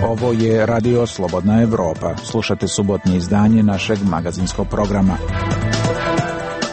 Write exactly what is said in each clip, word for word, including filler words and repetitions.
Ovo je Radio Slobodna Evropa. Slušate subotnje izdanje našeg magazinskog programa.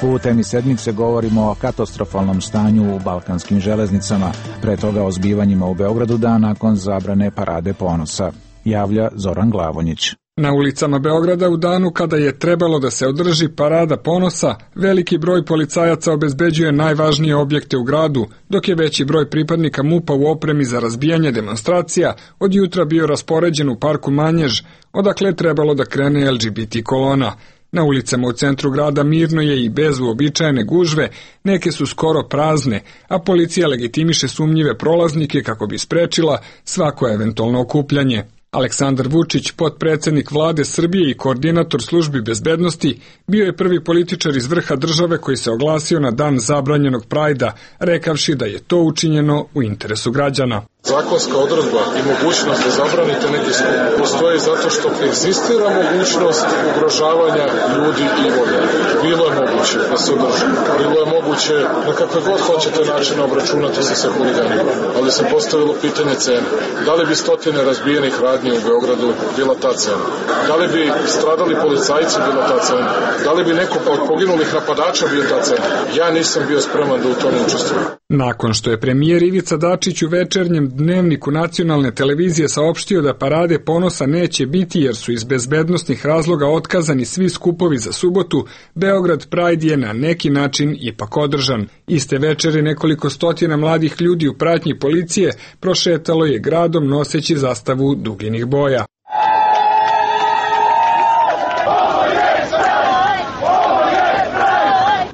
U temi sedmice govorimo o katastrofalnom stanju u balkanskim železnicama, pre toga o zbivanjima u Beogradu dan nakon zabrane Parade ponosa. Javlja Zoran Glavonjić. Na ulicama Beograda u danu kada je trebalo da se održi Parada ponosa, veliki broj policajaca obezbeđuje najvažnije objekte u gradu, dok je veći broj pripadnika MUP-a u opremi za razbijanje demonstracija od jutra bio raspoređen u parku Manjež, odakle je trebalo da krene L G B T kolona. Na ulicama u centru grada mirno je i bez uobičajene gužve, neke su skoro prazne, a policija legitimiše sumnjive prolaznike kako bi sprečila svako eventualno okupljanje. Aleksandar Vučić, potpredsednik vlade Srbije i koordinator službi bezbednosti, bio je prvi političar iz vrha države koji se oglasio na dan zabranjenog Prajda, rekavši da je to učinjeno u interesu građana. Zakonska odredba i mogućnost da zabranite neki skup postoji zato što egzistira mogućnost ugrožavanja ljudi i imovine. Bilo je moguće da se održi, bilo je moguće na kakve god hoćete načine obračunati se sa huliganima, ali se postavilo pitanje cene. Da li bi stotine razbijenih radnji u Beogradu bila ta cena? Da li bi stradali policajci bila ta cena? Da li bi neko od poginulih napadača bio ta cena? Ja nisam bio spreman da u tome učestvujem. Nakon što je premijer Ivica Dačić u večernjem dnevniku nacionalne televizije saopštio da Parade ponosa neće biti jer su iz bezbednosnih razloga otkazani svi skupovi za subotu, Beograd Pride je na neki način ipak održan. Iste večeri nekoliko stotina mladih ljudi u pratnji policije prošetalo je gradom noseći zastavu duginih boja.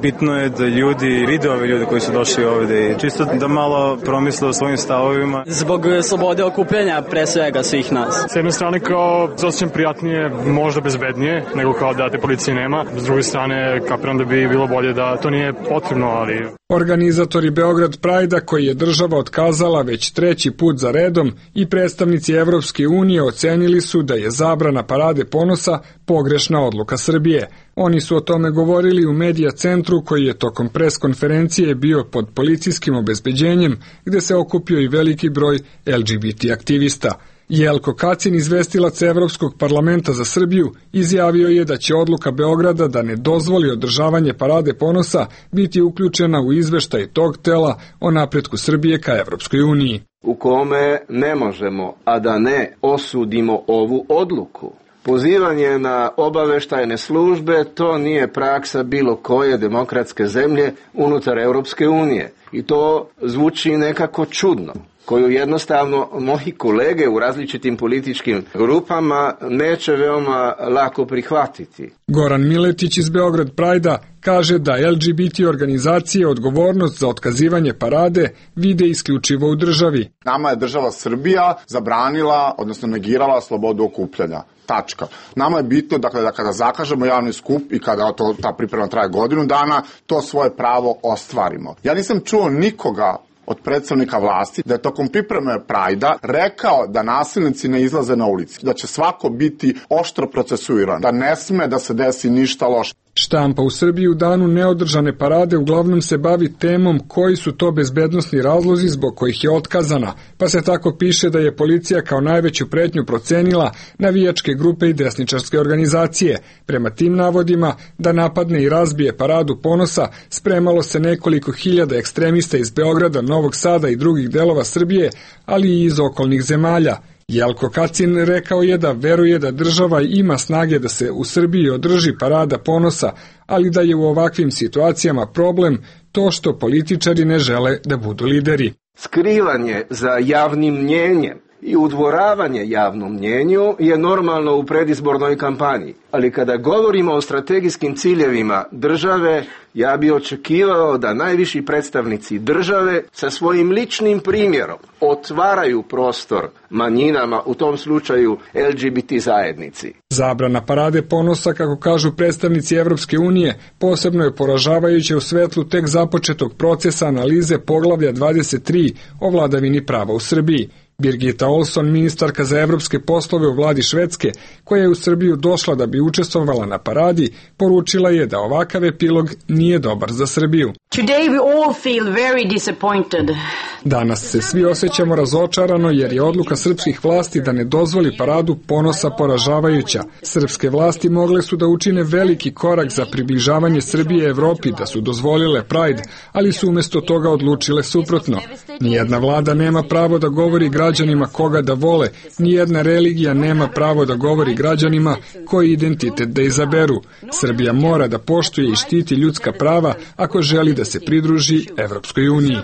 Bitno je da ljudi vide ove ljude koji su došli ovde i čisto da malo promisle o svojim stavovima. Zbog slobode okupljanja pre svega svih nas. S jedne strane kao osjećam prijatnije, možda bezbednije, nego kao da te policije nema. S druge strane kapiram da bi bilo bolje da to nije potrebno, ali... Organizatori Beograd Prajda, koji je država otkazala već treći put za redom, i predstavnici Evropske unije ocenili su da je zabrana Parade ponosa pogrešna odluka Srbije. Oni su o tome govorili u Medija centru koji je tokom pres konferencije bio pod policijskim obezbeđenjem gde se okupio i veliki broj L G B T aktivista. Jelko Kacin, izvestilac Evropskog parlamenta za Srbiju, izjavio je da će odluka Beograda da ne dozvoli održavanje Parade ponosa biti uključena u izveštaj tog tela o napretku Srbije ka Evropskoj uniji. U kome ne možemo, a da ne osudimo ovu odluku. Pozivanje na obaveštajne službe, to nije praksa bilo koje demokratske zemlje unutar Europske unije. I to zvuči nekako čudno, koju jednostavno moji kolege u različitim političkim grupama neće veoma lako prihvatiti. Goran Miletić iz Beograd Prajda kaže da L G B T organizacije odgovornost za otkazivanje parade vide isključivo u državi. Nama je država Srbija zabranila, odnosno negirala slobodu okupljanja. Tačka. Nama je bitno dakle, da kada zakažemo javni skup i kada to, ta priprema traje godinu dana, to svoje pravo ostvarimo. Ja nisam čuo nikoga od predstavnika vlasti da je tokom pripreme Prajda rekao da nasilnici ne izlaze na ulici, da će svako biti oštro procesuiran, da ne sme da se desi ništa loše. Štampa u Srbiji u danu neodržane parade uglavnom se bavi temom koji su to bezbednosni razlozi zbog kojih je otkazana, pa se tako piše da je policija kao najveću pretnju procenila navijačke grupe i desničarske organizacije. Prema tim navodima, da napadne i razbije Paradu ponosa, spremalo se nekoliko hiljada ekstremista iz Beograda, Novog Sada i drugih delova Srbije, ali i iz okolnih zemalja. Jelko Kacin rekao je da veruje da država ima snage da se u Srbiji održi Parada ponosa, ali da je u ovakvim situacijama problem to što političari ne žele da budu lideri. Skrivanje za javnim mnjenjem i udvoravanje javnom mnjenju je normalno u predizbornoj kampanji. Ali kada govorimo o strategijskim ciljevima države, ja bi očekivao da najviši predstavnici države sa svojim ličnim primjerom otvaraju prostor manjinama, u tom slučaju L G B T zajednici. Zabrana Parade ponosa, kako kažu predstavnici Evropske unije, posebno je poražavajuća u svetlu tek započetog procesa analize poglavlja dvadeset tri o vladavini prava u Srbiji. Birgitta Olsson, ministarka za evropske poslove u vladi Švedske, koja je u Srbiju došla da bi učestvovala na paradi, poručila je da ovakav epilog nije dobar za Srbiju. Today we all feel very disappointed. Danas se svi osjećamo razočarano jer je odluka srpskih vlasti da ne dozvoli paradu ponosa poražavajuća. Srpske vlasti mogle su da učine veliki korak za približavanje Srbije Evropi, da su dozvolile Pride, ali su umjesto toga odlučile suprotno. Nijedna vlada nema pravo da govori građanima koga da vole, nijedna religija nema pravo da govori građanima koji identitet da izaberu. Srbija mora da poštuje i štiti ljudska prava ako želi da se pridruži Evropskoj uniji.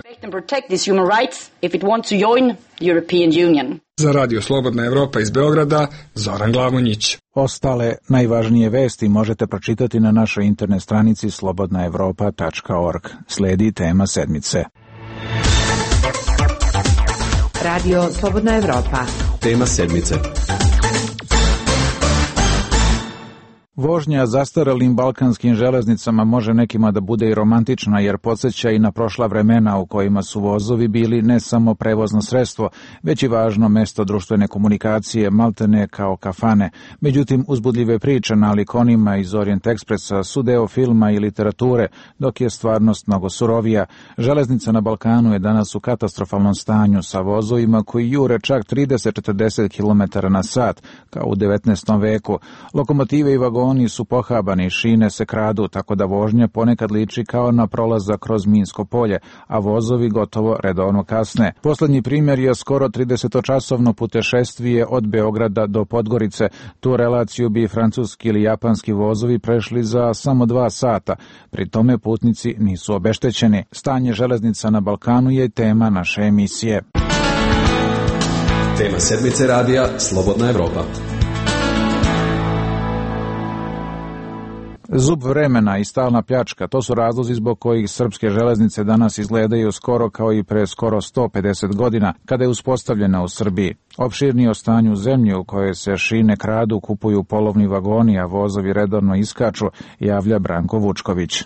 Za Radio Slobodna Evropa iz Beograda, Zoran Glavonjić. Ostale najvažnije vesti možete pročitati na našoj internet stranici slobodna evropa tačka org. Sledi tema sedmice. Radio Slobodna Evropa. Tema sedmice. Vožnja zastaralim balkanskim železnicama može nekima da bude i romantična jer podsjeća i na prošla vremena u kojima su vozovi bili ne samo prevozno sredstvo, već i važno mesto društvene komunikacije, maltene kao kafane. Međutim, uzbudljive priče nalik onima iz Orient Ekspresa su deo filma i literature, dok je stvarnost mnogo surovija. Železnica na Balkanu je danas u katastrofalnom stanju sa vozovima koji jure čak trideset do četrdeset kilometara na sat, kao u devetnaestom veku. Lokomotive i vagoni Oni su pohabani, šine se kradu, tako da vožnja ponekad liči kao na prolazak kroz minsko polje, a vozovi gotovo redovno kasne. Poslednji primjer je skoro tridesetočasovno putešestvije od Beograda do Podgorice. Tu relaciju bi francuski ili japanski vozovi prešli za samo dva sata. Pri tome putnici nisu obeštećeni. Stanje železnica na Balkanu je tema naše emisije. Tema sedmice radija Slobodna Evropa. Zub vremena i stalna pljačka, to su razlozi zbog kojih srpske železnice danas izgledaju skoro kao i pre skoro sto pedeset godina, kada je uspostavljena u Srbiji. Opširnije o stanju zemlje u kojoj se šine kradu, kupuju polovni vagoni, a vozovi redovno iskaču, javlja Branko Vučković.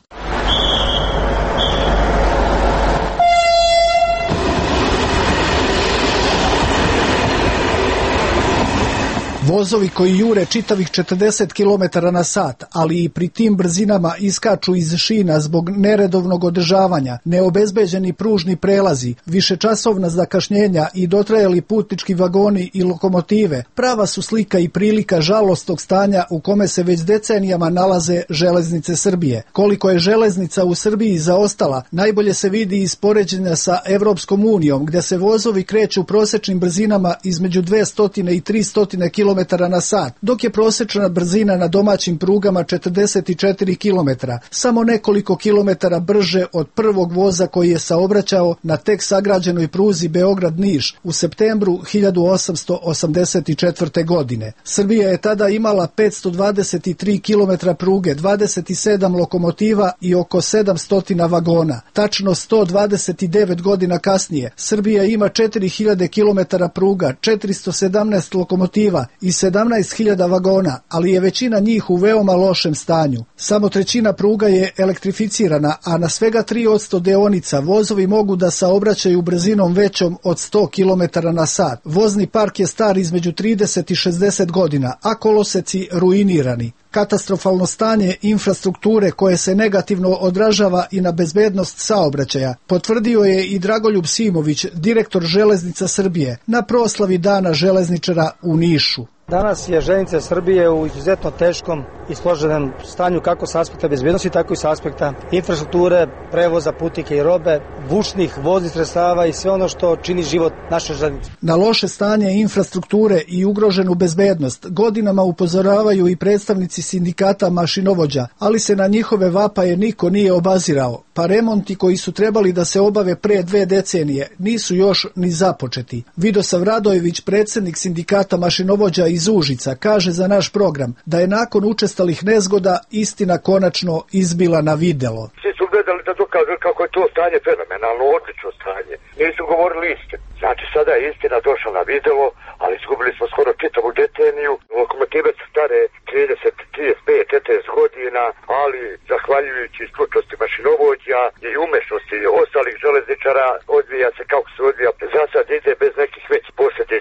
Vozovi koji jure čitavih četrdeset kilometara na sat, ali i pri tim brzinama iskaču iz šina zbog neredovnog održavanja, neobezbeđeni pružni prelazi, višečasovna zakašnjenja i dotrajali putnički vagoni i lokomotive, prava su slika i prilika žalostnog stanja u kome se već decenijama nalaze železnice Srbije. Koliko je železnica u Srbiji zaostala, najbolje se vidi iz poređenja sa Evropskom unijom, gde se vozovi kreću prosečnim brzinama između dvesta i trista kilometara na sat, dok je prosečna brzina na domaćim prugama četrdeset četiri kilometra, samo nekoliko kilometara brže od prvog voza koji je saobraćao na tek sagrađenoj pruzi Beograd-Niš u septembru hiljadu osamsto osamdeset četvrte. godine. Srbija je tada imala petsto dvadeset tri kilometra pruge, dvadeset sedam lokomotiva i oko sedamsto vagona. Tačno sto dvadeset devet godina kasnije, Srbija ima četiri hiljade kilometara pruga, četiristo sedamnaest lokomotiva i sedamnaest hiljada vagona, ali je većina njih u veoma lošem stanju. Samo trećina pruga je elektrificirana, a na svega tri posto deonica vozovi mogu da saobraćaju brzinom većom od sto kilometara na sat. Vozni park je star između trideset i šezdeset godina, a koloseci ruinirani. Katastrofalno stanje infrastrukture koje se negativno odražava i na bezbednost saobraćaja potvrdio je i Dragoljub Simović, direktor Železnica Srbije, na proslavi Dana železničara u Nišu. Danas je železnica Srbije u izuzetno teškom i složenom stanju kako sa aspekta bezbednosti, tako i sa aspekta infrastrukture, prevoza putnika i robe, vučnih voznih sredstava i sve ono što čini život naše železnice. Na loše stanje infrastrukture i ugroženu bezbednost godinama upozoravaju i predstavnici sindikata mašinovođa, ali se na njihove vapaje niko nije obazirao, pa remonti koji su trebali da se obave pre dve decenije nisu još ni započeti. Vidosav Radojević, predsednik sindikata mašinovođa iz Užica, kaže za naš program da je nakon učestalih nezgoda istina konačno izbila na videlo. Svi su gledali da dokažu kako je to stanje fenomenalno, odlično stanje. Nisu govorili istinu. Znači sada je istina došla na videlo, ali izgubili smo skoro čitavu deceniju. Lokomotive su stare trideset, trideset pet, četrdeset godina, ali zahvaljujući stručnosti mašinovođa i umešnosti ostalih železničara odvija se kako se odvija. Za sad ide bez nekih većih posljedica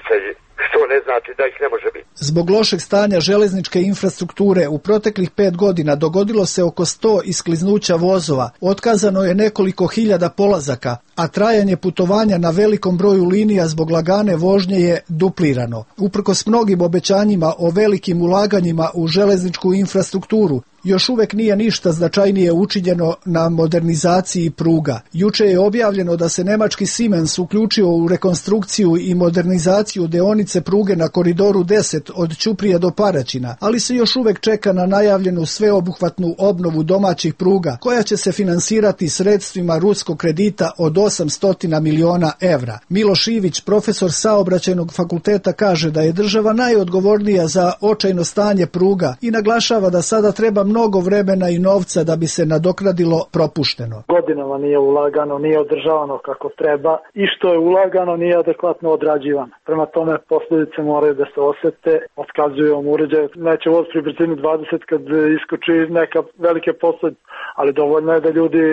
Zbog lošeg stanja železničke infrastrukture u proteklih pet godina dogodilo se oko sto iskliznuća vozova, otkazano je nekoliko hiljada polazaka, a trajanje putovanja na velikom broju linija zbog lagane vožnje je duplirano. Uprkos mnogim obećanjima o velikim ulaganjima u železničku infrastrukturu, još uvek nije ništa značajnije učinjeno na modernizaciji pruga. Juče je objavljeno da se nemački Siemens uključio u rekonstrukciju i modernizaciju deonice pruge na koridoru deset od Ćuprije do Paraćina, ali se još uvek čeka na najavljenu sveobuhvatnu obnovu domaćih pruga, koja će se finansirati sredstvima ruskog kredita od osamsto miliona evra. Miloš Ivić, profesor Saobraćajnog fakulteta, kaže da je država najodgovornija za očajno stanje pruga i naglašava da sada treba mnogo vremena i novca da bi se nadoknadilo propušteno. Godinama nije ulagano, nije održavano kako treba i što je ulagano nije adekvatno odrađivano. Prema tome posljedice moraju da se osete, otkazuju vam uređaj. Neće voz pri brzini dvadeset kad iskoči neka velike posljedice, ali dovoljno je da ljudi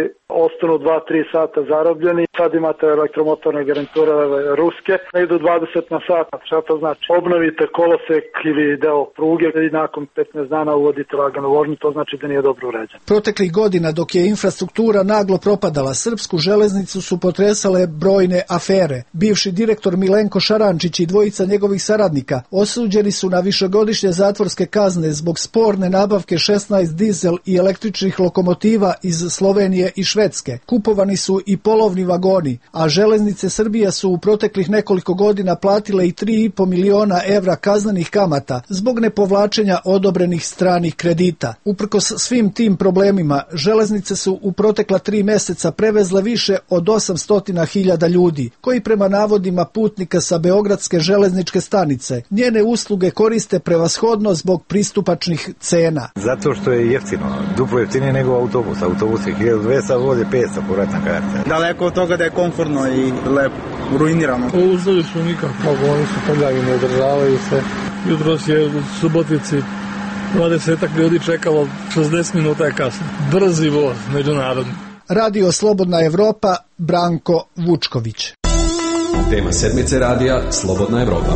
ostanu dva do tri sata zarobljeni. Sad imate elektromotorne garniture ruske, ne idu dvadeset na sat. Šta to znači? Obnovite kolosek ili deo pruge i nakon petnaest dana uvodite laganu vožnju, to znači da nije dobro uređen. Proteklih godina dok je infrastruktura naglo propadala, srpsku železnicu su potresale brojne afere. Bivši direktor Milenko Šarančić i dvojica njegovih saradnika osuđeni su na višegodišnje zatvorske kazne zbog sporne nabavke šesnaest dizel i električnih lokomotiva iz Slovenije i Švedske. Kupovani su i polovni vagoni, a železnice Srbije su u proteklih nekoliko godina platile i tri i po miliona evra kaznenih kamata zbog nepovlačenja odobrenih stranih kredita. Uprkos svim tim problemima, železnice su u protekla tri meseca prevezle više od osamsto hiljada ljudi, koji prema navodima putnika sa Beogradske železničke stanice njene usluge koriste prevashodno zbog pristupačnih cena. Zato što je jeftino, duplo jeftinije nego autobus. Autobus je hiljadu dvesta, voz je petsto, povratna karta. Daleko od toga da je komfortno i lepo, ruinirano. Uslovi su nikako, oni su prljavi, ne održavaju se. Jutros je u Subotici dvadesetak ljudi čekalo, šezdeset minuta je kasno. Brzi voz, međunarodni. Radio Slobodna Evropa, Branko Vučković. Tema sedmice radija Slobodna Evropa.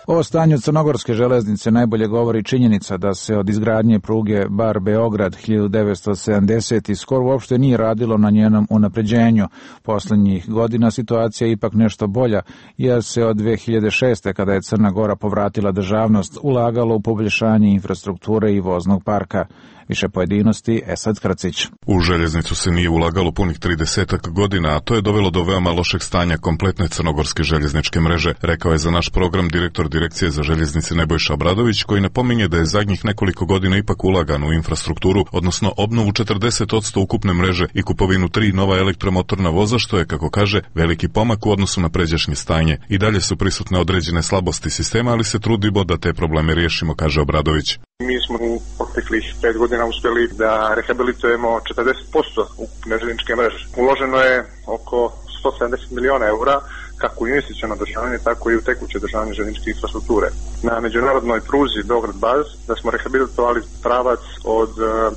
O stanju crnogorske železnice najbolje govori činjenica da se od izgradnje pruge Bar-Beograd hiljadu devetsto sedamdesetih skoro uopšte nije radilo na njenom unapređenju. Poslednjih godina situacija je ipak nešto bolja, jer se od dve hiljade šeste. kada je Crna Gora povratila državnost, ulagalo u poboljšanje infrastrukture i voznog parka. Više pojedinosti, Esad Kracić. U željeznicu se nije ulagalo punih tridesetak godina, a to je dovelo do veoma lošeg stanja kompletne crnogorske željezničke mreže, rekao je za naš program direktor Direkcije za željeznice Nebojša Obradović, koji napominje da je zadnjih nekoliko godina ipak ulagano u infrastrukturu, odnosno obnovu četrdeset posto ukupne mreže i kupovinu tri nova elektromotorna voza, što je, kako kaže, veliki pomak u odnosu na pređašnje stanje. I dalje su prisutne određene slabosti sistema, ali se trudimo da te probleme riješimo, kaže Obradović. Mi smo u proteklih pet godina uspjeli da rehabilitujemo četrdeset posto ukupne željezničke mreže. Uloženo je oko sto sedamdeset miliona eura, kako u investiciono održavanje, tako i u tekuće održavanje željezničke infrastrukture. Na međunarodnoj pruzi Beograd-Baz da smo rehabilitovali pravac od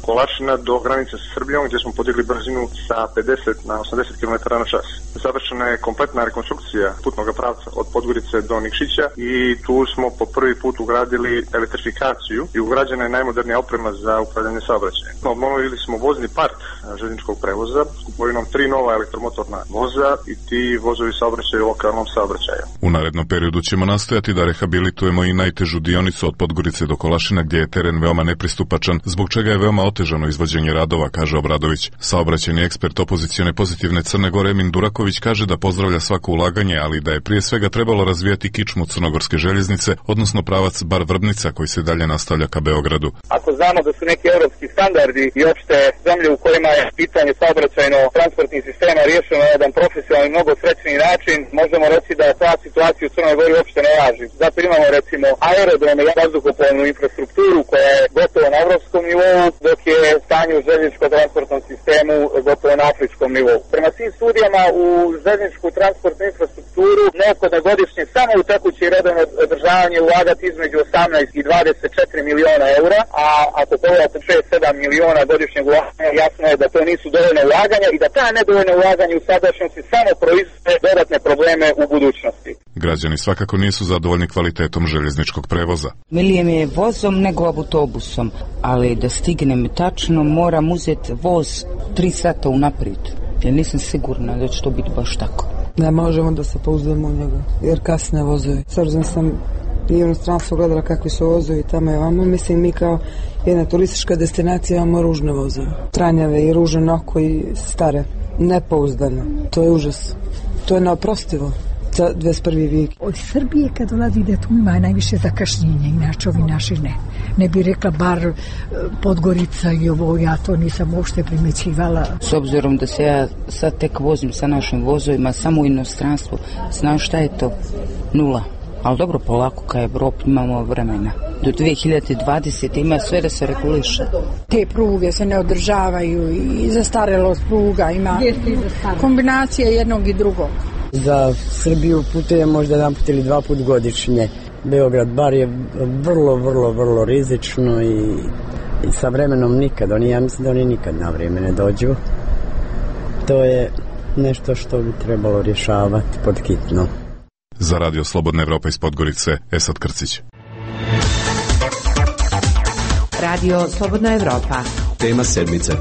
Kolašina do granice sa Srbijom, gdje smo podigli brzinu sa pedeset na osamdeset kilometara na čas. Završena je kompletna rekonstrukcija putnog pravca od Podgorice do Nikšića i tu smo po prvi put ugradili elektrifikaciju i ugrađena je najmodernija oprema za upravljanje saobraćajem. Obnovili smo vozni park željezničkog prevoza s kupovinom tri nova elektromotorna voza i ti vozovi saobraćaju lokalnom saobraćaju. U narednom periodu ćemo nastojati da rehabilitujemo i najtežu dionicu od Podgorice do Kolašina, gdje je teren veoma nepristupačan, zbog čega je veoma otežano izvođenje radova, kaže Obradović. Saobraćajni ekspert opozicione Pozitivne Crne Gore Emin Duraković kaže da pozdravlja svako ulaganje, ali da je prije svega trebalo razvijati kičmu crnogorske željeznice, odnosno pravac Bar-Vrbnica koji se dalje nastavlja ka Beogradu. Ako znamo da su neki europski standardi i opšte zemlje u kojima je pitanje saobraćajno-transportnih sistema riješeno na jedan profesionalni, mnogo srećniji način, možemo reći da ta situacija u Crnoj Gori uopšte ne važi. Zato imamo recimo aerodrome i vazduhoplovnu infrastrukturu koja je gotovo na evropskom nivou, dok je stanje u željezničko-transportnom sistemu gotovo na afričkom nivou. Prema svim studijama u željezničku transportnu infrastrukturu neophodno godišnje samo u tekuće i redovno održavanje ulagati između osamnaest i dvadeset četiri miliona eura, a ako pogledate šest do sedam miliona godišnjeg ulaganja, jasno je da to nisu dovoljne ulaganja i da ta nedovoljne ulaganja u sadašnjosti samo proizvode dodatne probleme u budućnosti. Građani svakako nisu zadovoljni kvalitetom željezničkog prevoza. Milije mi je vozom nego autobusom, ali da stignem tačno moram uzeti voz tri sata unaprijed, jer nisam sigurna da će to biti baš tako. Ne možemo da se pouzdamo u njega, jer kasne vozovi. S obzirom sam i u inostranstvu gledala kakvi su vozovi tamo i vamo, mislim mi kao jedna turistička destinacija imamo ružne vozove. Tranjave i ružne oko i stare. Nepouzdano. To je užas. To je neoprostivo za dvadeset prvi vijek. Od Srbije kad dolazi da tu ima najviše zakašnjenja, inače ovi naši ne. Ne bi rekla bar Podgorica i ovo, ja to nisam uopšte primjećivala. S obzirom da se ja sad tek vozim sa našim vozovima samo u inostranstvu, znaš šta je to? Nula. Ali dobro, polako ka Evropi imamo vremena. Do dvije hiljade dvadesete ima sve da se reguliše. Te pruge se ne održavaju i zastarelost pruga ima kombinacija jednog i drugog. Za Srbiju putuje možda jedan put ili dva put godišnje. Beograd bar je vrlo, vrlo, vrlo rizično i, i sa vremenom nikad. Oni, ja mislim da oni nikad na vrijeme ne dođu. To je nešto što bi trebalo rješavati pod hitno. Za Radio Slobodna Evropa iz Podgorice, Esad Krcić. Radio Slobodna Evropa. Tema sedmice.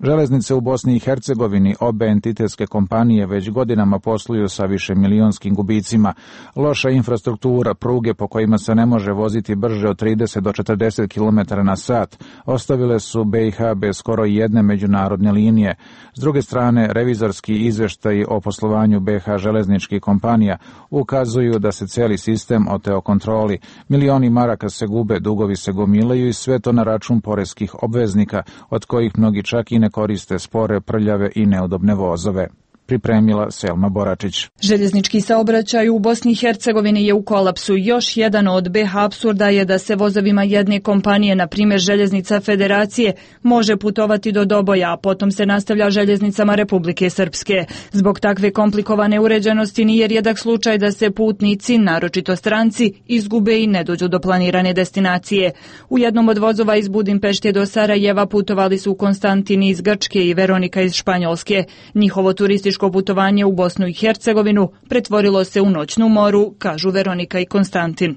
Železnice u Bosni i Hercegovini, obe entitetske kompanije već godinama posluju sa višemilijonskim gubicima. Loša infrastruktura, pruge po kojima se ne može voziti brže od trideset do četrdeset kilometara na sat, ostavile su B i H bez skoro jedne međunarodne linije. S druge strane, revizorski izveštaji o poslovanju B i H železničkih kompanija ukazuju da se cijeli sistem oteo kontroli. Milioni maraka se gube, dugovi se gomilaju i sve to na račun poreskih obveznika, od kojih mnogi čak i ne koriste spore, prljave i neudobne vozove. Pripremila Selma Boračić. Željeznički saobraćaj u Bosni i Hercegovini je u kolapsu. Još jedan od B H apsurda je da se vozovima jedne kompanije, na primjer Željeznica Federacije, može putovati do Doboja, a potom se nastavlja željeznicama Republike Srpske. Zbog takve komplikovane uređenosti nije rijedak slučaj da se putnici, naročito stranci, izgube i ne dođu do planirane destinacije. U jednom od vozova iz Budimpešte do Sarajeva putovali su Konstantin iz Grčke i Veronika iz Španjolske. Njihovo turističko putovanje u Bosnu i Hercegovinu pretvorilo se u noćnu moru, kažu Veronika i Konstantin.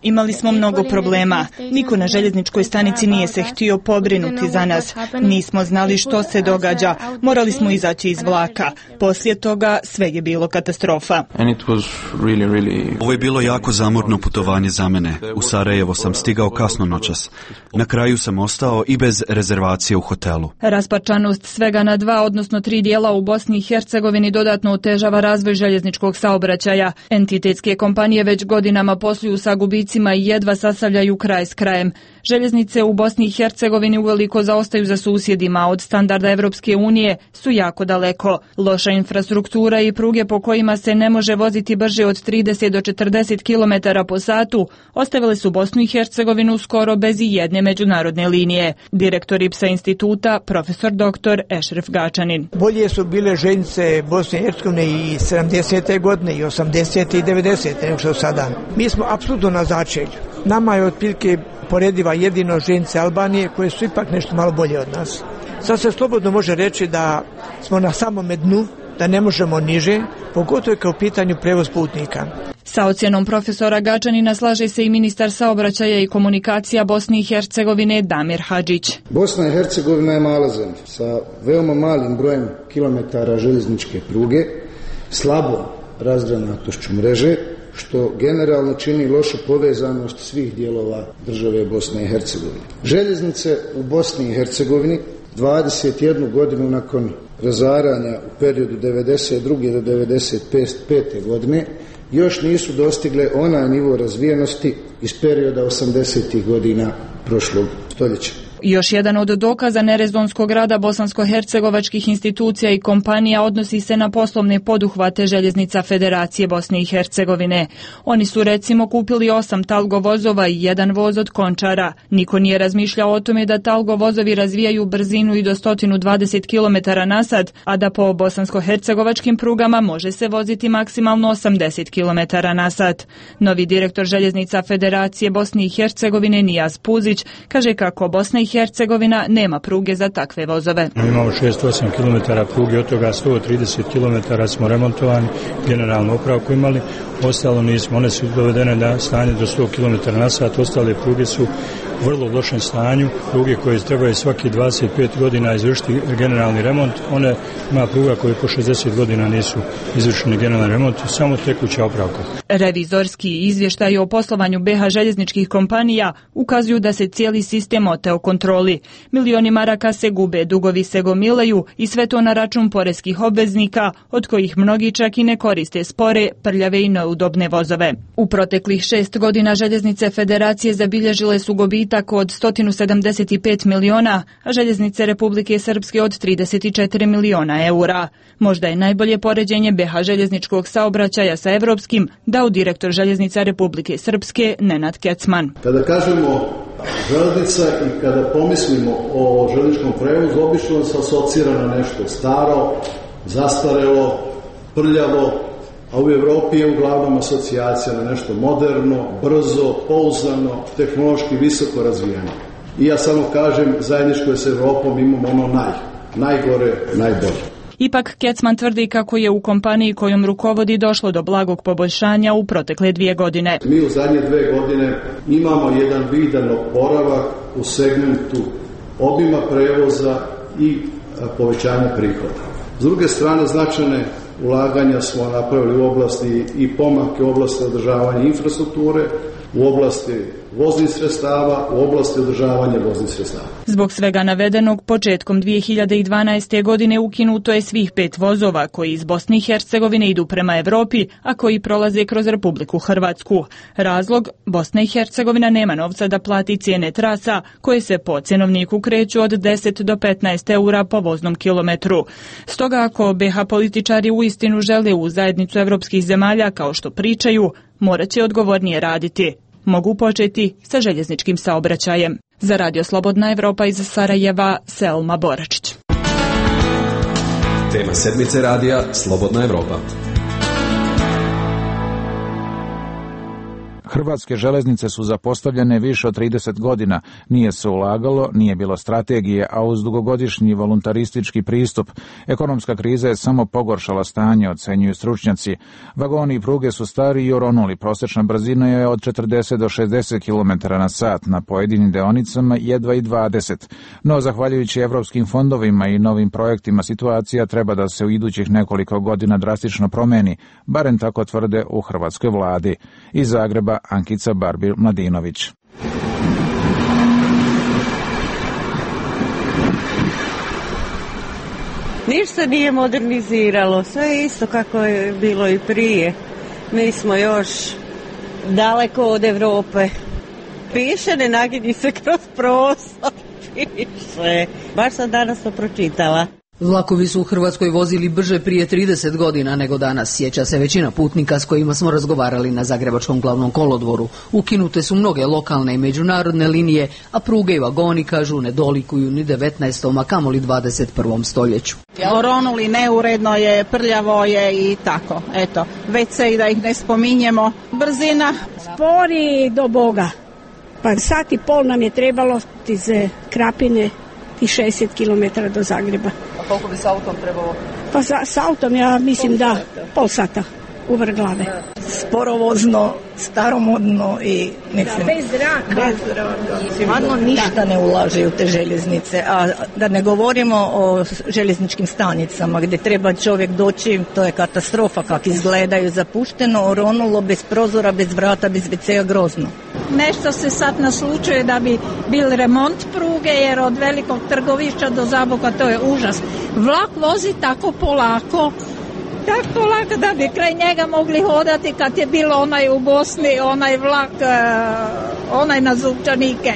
Imali smo mnogo problema. Niko na željezničkoj stanici nije se htio pobrinuti za nas. Nismo znali što se događa. Morali smo izaći iz vlaka. Poslije toga sve je bilo katastrofa. Ovo je bilo jako zamorno putovanje za mene. U Sarajevo sam stigao kasno noćas. Na kraju sam ostao i bez rezervacije u hotelu. Rasparčanost svega na dva, odnosno tri dijela u Bosni i Hercegovini dodatno otežava razvoj željezničkog saobraćaja. Entitetske kompanije već godinama posluju sa gubicima i jedva sastavljaju kraj s krajem. Željeznice u Bosni i Hercegovini uveliko zaostaju za susjedima, od standarda Evropske unije su jako daleko. Loša infrastruktura i pruge po kojima se ne može voziti brže od trideset do četrdeset kilometara po satu ostavile su Bosnu i Hercegovinu skoro bez i jedne međunarodne linije. Direktor I P S A instituta, profesor doktor Ešref Gačanin. Bolje su bile željeznice Bosne i Hercegovine i sedamdesete godine i osamdesete i devedesete nego što sada. Mi smo apsolutno na začelju. Nama je otprilike porediva jedino željeznice Albanije koje su ipak nešto malo bolje od nas. Sad se slobodno može reći da smo na samome dnu, da ne možemo niže, pogotovo kao u pitanju prevoz putnika. Sa ocjenom profesora Gačanina slaže se i ministar saobraćaja i komunikacija Bosne i Hercegovine Damir Hadžić. Bosna i Hercegovina je mala zemlja sa veoma malim brojem kilometara željezničke pruge, slabom razgranatošću mreže, što generalno čini lošu povezanost svih dijelova države Bosne i Hercegovine. Željeznice u Bosni i Hercegovini dvadeset jednu godinu nakon razaranja u periodu devedeset druge do devedeset pete godine još nisu dostigle onaj nivo razvijenosti iz perioda osamdesetih godina prošlog stoljeća. Još jedan od dokaza nerezonskog rada bosansko-hercegovačkih institucija i kompanija odnosi se na poslovne poduhvate Željeznica Federacije Bosne i Hercegovine. Oni su recimo kupili osam Talgo vozova i jedan voz od Končara. Niko nije razmišljao o tome da Talgo vozovi razvijaju brzinu i do sto dvadeset kilometara na sat, a da po bosansko-hercegovačkim prugama može se voziti maksimalno osamdeset kilometara na sat. Novi direktor Željeznica Federacije Bosne i Hercegovine Nijaz Puzić kaže kako Bosna i i Hercegovina nema pruge za takve vozove. Mi imamo šezdeset osam kilometara pruge, od toga sto trideset kilometara smo remontovani, generalnu opravku imali, ostalo nismo. One su dovedene na stanje do sto kilometara na sat, ostale pruge su u vrlo lošem stanju. Pruge koje trebaju svaki dvadeset pet godina izvršiti generalni remont, one ima pruga koje po šezdeset godina nisu izvršeni generalni remont, samo tekuća opravka. Revizorski izvještaj o poslovanju B H željezničkih kompanija ukazuju da se cijeli sistem oteo kontroli. Milioni maraka se gube, dugovi se gomilaju i sve to na račun poreskih obveznika, od kojih mnogi čak i ne koriste spore, prljave i neudobne vozove. U proteklih šest godina željeznice Federacije zabilježile su gubitak od sto sedamdeset pet miliona, a željeznice Republike Srpske od trideset četiri miliona eura. Možda je najbolje poređenje B H željezničkog saobraćaja sa evropskim dao direktor željeznica Republike Srpske Nenad Kecman. Kada kažemo željeznica i kada pomislimo o željezničkom prevozu, obično se asocira na nešto staro, zastarelo, prljavo, a u Evropi je uglavnom asocijacija na nešto moderno, brzo, pouzdano, tehnološki visoko razvijeno. I ja samo kažem, zajedničko je s Evropom, imamo ono naj, najgore, najbolje. Ipak Kecman tvrdi kako je u kompaniji kojom rukovodi došlo do blagog poboljšanja u protekle dvije godine. Mi u zadnje dve godine imamo jedan vidan oporavak u segmentu obima prevoza i povećanja prihoda. S druge strane, značajne ulaganja smo napravili u oblasti i pomake u oblasti održavanja infrastrukture, u oblasti voznih sredstava, u oblasti održavanja voznih sredstava. Zbog svega navedenog, početkom dvije hiljade dvanaeste. godine ukinuto je svih pet vozova koji iz Bosne i Hercegovine idu prema Evropi, a koji prolaze kroz Republiku Hrvatsku. Razlog, Bosna i Hercegovina nema novca da plati cijene trasa koje se po cjenovniku kreću od deset do petnaest eura po voznom kilometru. Stoga ako B H političari uistinu žele u zajednicu evropskih zemalja kao što pričaju, morat će odgovornije raditi. Mogu početi sa željezničkim saobraćajem. Za Radio Slobodna Evropa iz Sarajeva, Selma Boračić. Tema sedmice radija Slobodna Evropa. Hrvatske železnice su zapostavljene više od trideset godina, nije se ulagalo, nije bilo strategije, a uz dugogodišnji voluntaristički pristup, ekonomska kriza je samo pogoršala stanje, ocenjuju stručnjaci. Vagoni i pruge su stari i oronuli, prosječna brzina je od četrdeset do šezdeset kilometara na sat, na pojedinim deonicama jedva i dvadeset. No, zahvaljujući evropskim fondovima i novim projektima, situacija treba da se u idućih nekoliko godina drastično promeni, barem tako tvrde u hrvatskoj vladi. Iz Zagreba Ankica Barbil-Mladinović. Ništa nije moderniziralo, sve je isto kako je bilo i prije. Mi smo još daleko od Evrope. Piše, ne naginji se kroz prostor, piše. Baš sam danas to pročitala. Vlakovi su u Hrvatskoj vozili brže prije trideset godina nego danas, sjeća se većina putnika s kojima smo razgovarali na Zagrebačkom glavnom kolodvoru. Ukinute su mnoge lokalne i međunarodne linije, a pruge i vagoni, kažu, ne dolikuju ni devetnaestom a kamoli dvadeset prvom stoljeću. Oronuli, neuredno je, prljavo je i tako, eto. Već se i da ih ne spominjemo. Brzina. Spori do Boga. Pa sat i pol nam je trebalo iz Krapine i šezdeset kilometara do Zagreba. A koliko bi s autom trebalo? Pa sa, s autom ja mislim da pol sata u vrh glave. Sporovozno, staromodno i mislim, da, bez zraka. Bez zraka. Stvarno ništa ne ulaže u te željeznice, a da ne govorimo o željezničkim stanicama gdje treba čovjek doći, to je katastrofa kako izgledaju, zapušteno, oronulo, bez prozora, bez vrata, bez ve cea, grozno. Nešto se sad naslučuje da bi bil remont pruge, jer od velikog trgovišća do Zaboka to je užas. Vlak vozi tako polako, tako lako da bi kraj njega mogli hodati kad je bilo onaj u Bosni, onaj vlak, onaj na Zupčanike,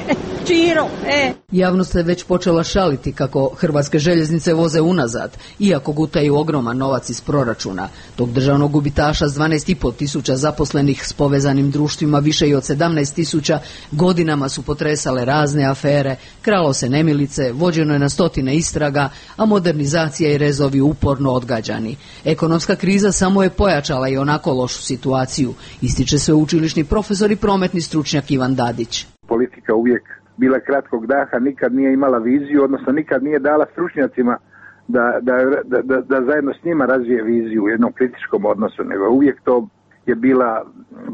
Čiro, e. Javnost se već počela šaliti kako hrvatske željeznice voze unazad, iako gutaju ogroman novac iz proračuna. Tog državnog gubitaša s dvanaest i pol tisuća zaposlenih s povezanim društvima više i od sedamnaest tisuća godinama su potresale razne afere, kralo se nemilice, vođeno je na stotine istraga, a modernizacija i rezovi uporno odgađani. Ekonomska kriza samo je pojačala i onako lošu situaciju, ističe sveučilišni profesor i prometni stručnjak Ivan Dadić. Politika uvijek bila kratkog daha, nikad nije imala viziju, odnosno nikad nije dala stručnjacima da, da, da, da, da zajedno s njima razvije viziju u jednom kritičkom odnosu, nego uvijek to je bila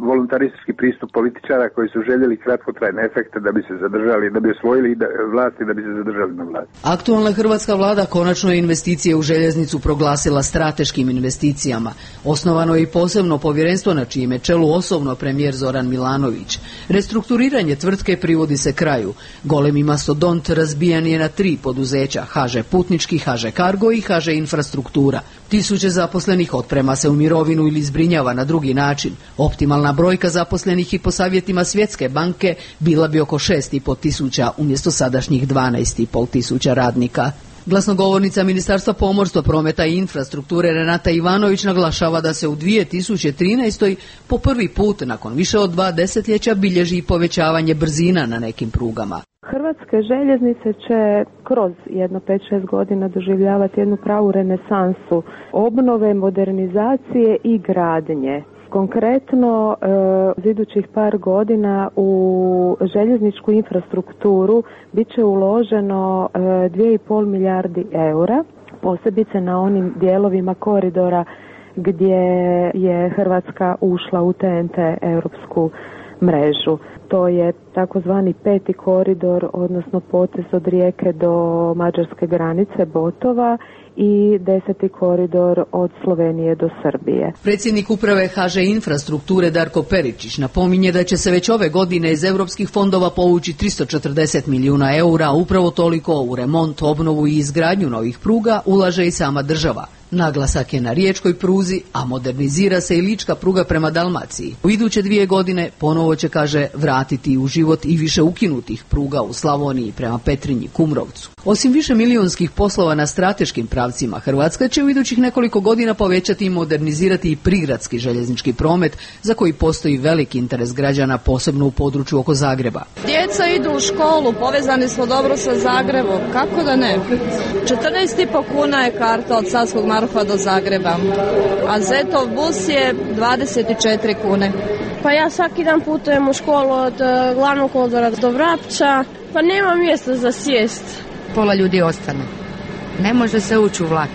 voluntaristički pristup političara koji su željeli kratkotrajne efekte da bi se zadržali, da bi osvojili vlast i da bi se zadržali na vlasti. Aktualna hrvatska vlada konačno je investicije u željeznicu proglasila strateškim investicijama. Osnovano je i posebno povjerenstvo na čijem je čelu osobno premijer Zoran Milanović. Restrukturiranje tvrtke privodi se kraju. Golemi mastodont razbijan je na tri poduzeća: ha že Putnički, ha že Cargo i ha že Infrastruktura. Tisuće zaposlenih otprema se u mirovinu ili zbrinjava na drugi način. Optimalna brojka zaposlenih i po savjetima Svjetske banke bila bi oko šest i pol tisuća umjesto sadašnjih dvanaest i pol tisuća radnika. Glasnogovornica Ministarstva pomorstva, prometa i infrastrukture Renata Ivanović naglašava da se u dvije tisuće trinaestoj po prvi put nakon više od dva desetljeća bilježi povećavanje brzina na nekim prugama. Hrvatske željeznice će kroz jedno pet šest godina doživljavati jednu pravu renesansu obnove, modernizacije i gradnje. Konkretno, za idućih par godina u željezničku infrastrukturu bit će uloženo dvije i pol milijardi eura, posebice na onim dijelovima koridora gdje je Hrvatska ušla u T N T europsku mrežu. To je takozvani peti koridor, odnosno potez od Rijeke do mađarske granice Botova, i deseti koridor od Slovenije do Srbije. Predsjednik uprave ha že Infrastrukture Darko Peričić napominje da će se već ove godine iz europskih fondova povući tristo četrdeset milijuna eura, upravo toliko u remont, obnovu i izgradnju novih pruga ulaže i sama država. Naglasak je na riječkoj pruzi, a modernizira se i lička pruga prema Dalmaciji. U iduće dvije godine ponovo će, kaže, vratiti u život i više ukinutih pruga u Slavoniji prema Petrinji, Kumrovcu. Osim više milijunskih poslova na strateškim pravcima, Hrvatska će u idućih nekoliko godina povećati i modernizirati i prigradski željeznički promet, za koji postoji veliki interes građana, posebno u području oko Zagreba. Djeca idu u školu, povezani smo dobro sa Zagrebom, kako da ne? četrnaest i po kuna je karta od Savskog Marofa do Zagreba, a Zetov bus je dvadeset četiri kune. Pa ja svaki dan putujem u školu od uh, glavnog kolodvora do Vrapča, pa nema mjesta za sjest. Pola ljudi ostane. Ne može se ući u vlak.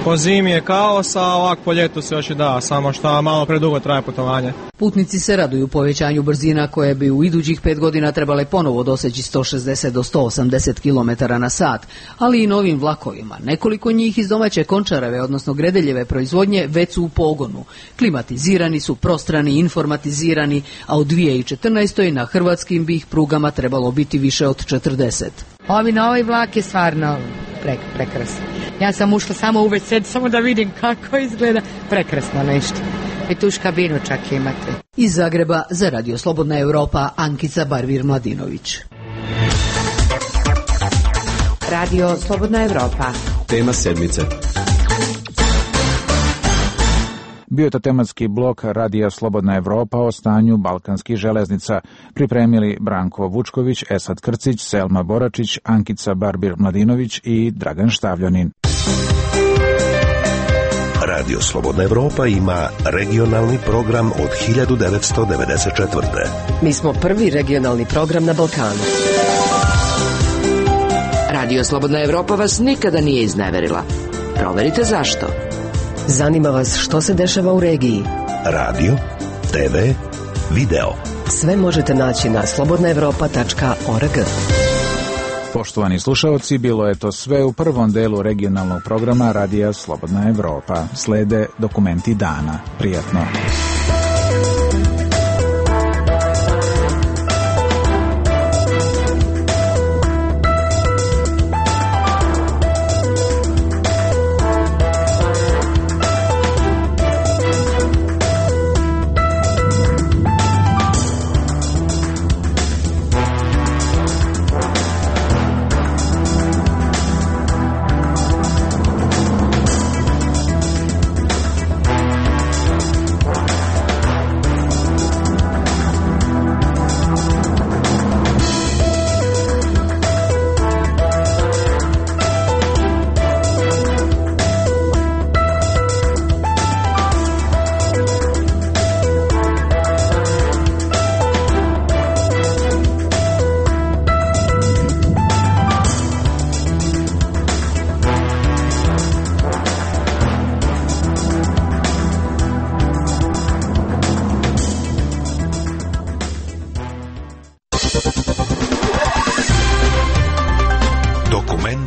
Po zimi je kaos, a ovak po ljetu se još i da, samo što malo predugo traje putovanje. Putnici se raduju povećanju brzina koje bi u idućih pet godina trebale ponovo doseći sto šezdeset do sto osamdeset kilometara na sat, ali i novim vlakovima. Nekoliko njih iz domaće Končareve, odnosno Gredeljeve proizvodnje, već su u pogonu. Klimatizirani su, prostrani, informatizirani, a u dvije tisuće četrnaestoj na hrvatskim bi ih prugama trebalo biti više od četrdeset. Ovi na ovaj vlak je stvarno prek, prekrasno. Ja sam ušla samo u ve ce samo da vidim kako izgleda. Prekrasno nešto. I tuš kabinu čak imate. Iz Zagreba za Radio Slobodna Europa, Ankica Barvir-Mladinović. Radio Slobodna Europa. Tema sedmice. Bio je to tematski blok Radija Slobodna Evropa o stanju balkanskih železnica. Pripremili Branko Vučković, Esad Krcić, Selma Boračić, Ankica Barbir-Mladinović i Dragan Štavljanin. Radio Slobodna Evropa ima regionalni program od hiljadu devetsto devedeset četvrte. Mi smo prvi regionalni program na Balkanu. Radio Slobodna Evropa vas nikada nije izneverila. Proverite zašto. Zanima vas što se dešava u regiji. Radio, te ve, video. Sve možete naći na slobodna evropa tačka org. Poštovani slušaoci, bilo je to sve u prvom delu regionalnog programa Radija Slobodna Evropa. Slede dokumenti dana. Prijatno.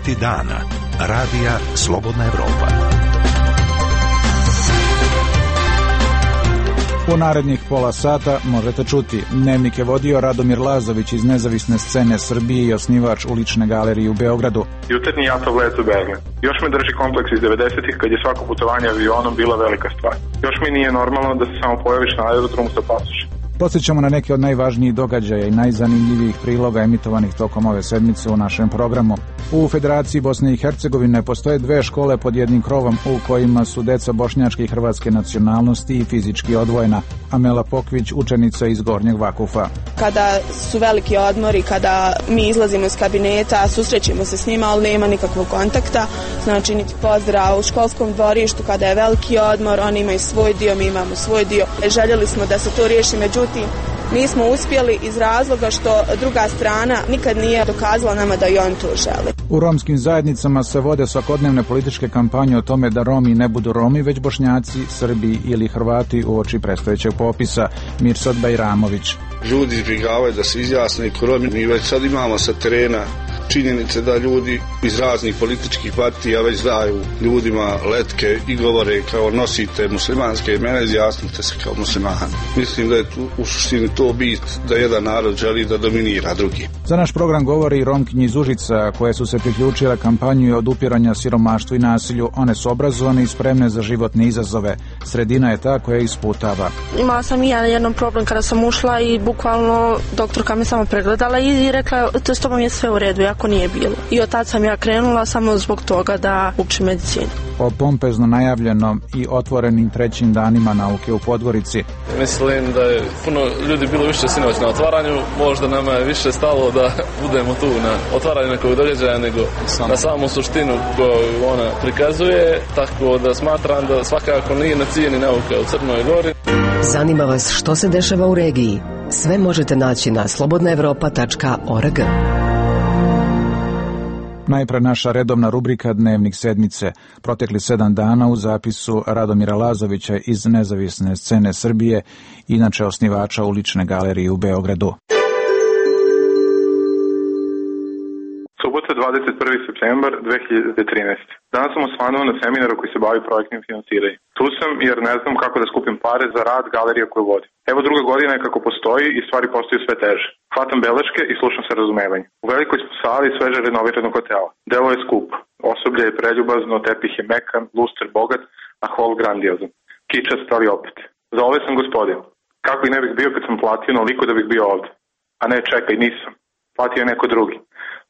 Saveti dana. Radija Slobodna Evropa. U narednih pola sata možete čuti. Dnevnik je vodio Radomir Lazović iz Nezavisne scene Srbije i osnivač Ulične galerije u Beogradu. Jutarnji Jatov let u Berlin. Još me drži kompleks iz devedesetih kad je svako putovanje avionom bila velika stvar. Još mi nije normalno da se samo pojaviš na aerodromu sa pasošem. Podsjećamo na neke od najvažnijih događaja i najzanimljivijih priloga emitovanih tokom ove sedmice u našem programu. U Federaciji Bosne i Hercegovine postoje dve škole pod jednim krovom u kojima su deca bošnjačke i hrvatske nacionalnosti i fizički odvojena. Amela Pokvić, učenica iz Gornjeg Vakufa. Kada su veliki odmori, kada mi izlazimo iz kabineta, susrećemo se s njima, ali nema nikakvog kontakta, znači niti pozdrav u školskom dvorištu. Kada je veliki odmor, oni imaju svoj dio, mi imamo svoj dio. Željeli smo da se to riješi, međutim, nismo uspjeli iz razloga što druga strana nikad nije dokazala nama da i on to želi. U romskim zajednicama se vode svakodnevne političke kampanje o tome da Romi ne budu Romi, već Bošnjaci, Srbi ili Hrvati uoči predstojećeg popisa. Mirsad Bajramović. Ljudi izbjegavaju da se izjasne ko Romi. Mi već sad imamo sa terena činjenice da ljudi iz raznih političkih partija već daju ljudima letke i govore kao nosite muslimanske imena, izjasnite se kao muslimani. Mislim da je tu u suštini to bit da jedan narod želi da dominira drugi. Za naš program govori i Romkinje iz Užica koje su se priključile kampanju odupiranja siromaštvu i nasilju. One su obrazovane i spremne za životne izazove. Sredina je ta koja isputava. Imala sam i ja jedan problem kada sam ušla i bukvalno doktorka me samo pregledala i rekla to s tobom je sve u redu, ako nije bilo. I od tad sam ja krenula samo zbog toga da učim medicinu. O pompezno najavljenom i otvorenim trećim danima nauke u Podgorici. Mislim da je puno ljudi bilo više sinoć na otvaranju, možda nama je više stalo da budemo tu na otvaranju nekog događaja nego na samu suštinu koju ona prikazuje, tako da smatram da svakako nije na cijeni nauka u Crnoj Gori. Zanima vas što se dešava u regiji? Sve možete naći na slobodna evropa tačka org. Najpre naša redovna rubrika Dnevnik sedmice. Protekli sedam dana u zapisu Radomira Lazovića iz Nezavisne scene Srbije, inače osnivača Ulične galerije u Beogradu. Subota dvadeset prvi septembar dve hiljade trinaeste. Danas sam osvanuo na seminaru koji se bavi projektnim finansiranjem. Tu sam jer ne znam kako da skupim pare za rad galerije koju vodim. Evo druga godina je kako postoji i stvari postaju sve teže. Hvatam beleške i slušam sa razumevanjem. U velikoj smo sali sveže renoviranog hotela. Delo je skup. Osoblje je preljubazno, tepih je mekan, luster bogat, a hol grandiozan. Kičast, ali opet. Za ove sam gospodin. Kako i ne bih bio kad sam platio noliko da bih bio ovde. A ne, čekaj, nisam. Platio je neko drugi.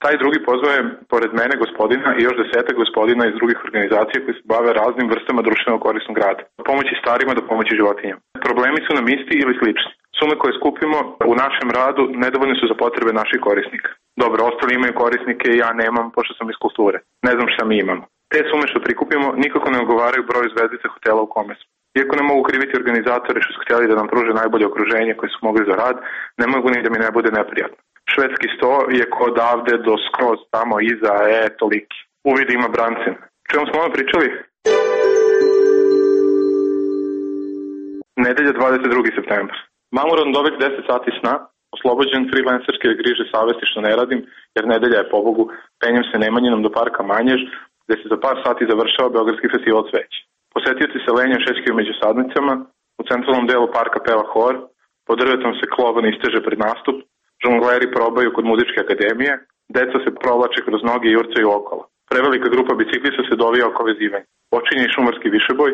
Taj drugi pozvao je pored mene gospodina i još desetak gospodina iz drugih organizacija koji se bave raznim vrstama društveno korisnog rada. Do pomoći starima do pomoći životinjama. Problemi su nam isti ili slični. Sume koje skupimo u našem radu nedovoljne su za potrebe naših korisnika. Dobro, ostali imaju korisnike i ja nemam, pošto sam iz kulture. Ne znam šta mi imamo. Te sume što prikupimo nikako ne odgovaraju broju zvezdica hotela u kome smo. Iako ne mogu kriviti organizatore što su htjeli da nam pruže najbolje okruženje koje su mogli za rad, ne mogu ni da mi ne bude neprijatno. Švedski sto je kod avde do skroz tamo iza, e, toliki. Uvid ima brancin. Čemu smo ono pričali? Nedelja dvadeset drugi septembar. Mamuran dobit deset sati sna, oslobođen freelancerske griže savesti što ne radim, jer nedelja je pobogu, penjem se Nemanjinom do parka Manjež, gde se za par sati završava Beogradski festival cveća. Posetioci se lenjem šećkaju među sadnicama, u centralnom delu parka peva hor, pod drvetom se klovan isteže pred nastup, žongleri probaju kod muzičke akademije, deca se provlače kroz noge i jurcaju okolo. Prevelika grupa biciklista se dovija oko vezivanja. Počinje i šumarski višeboj,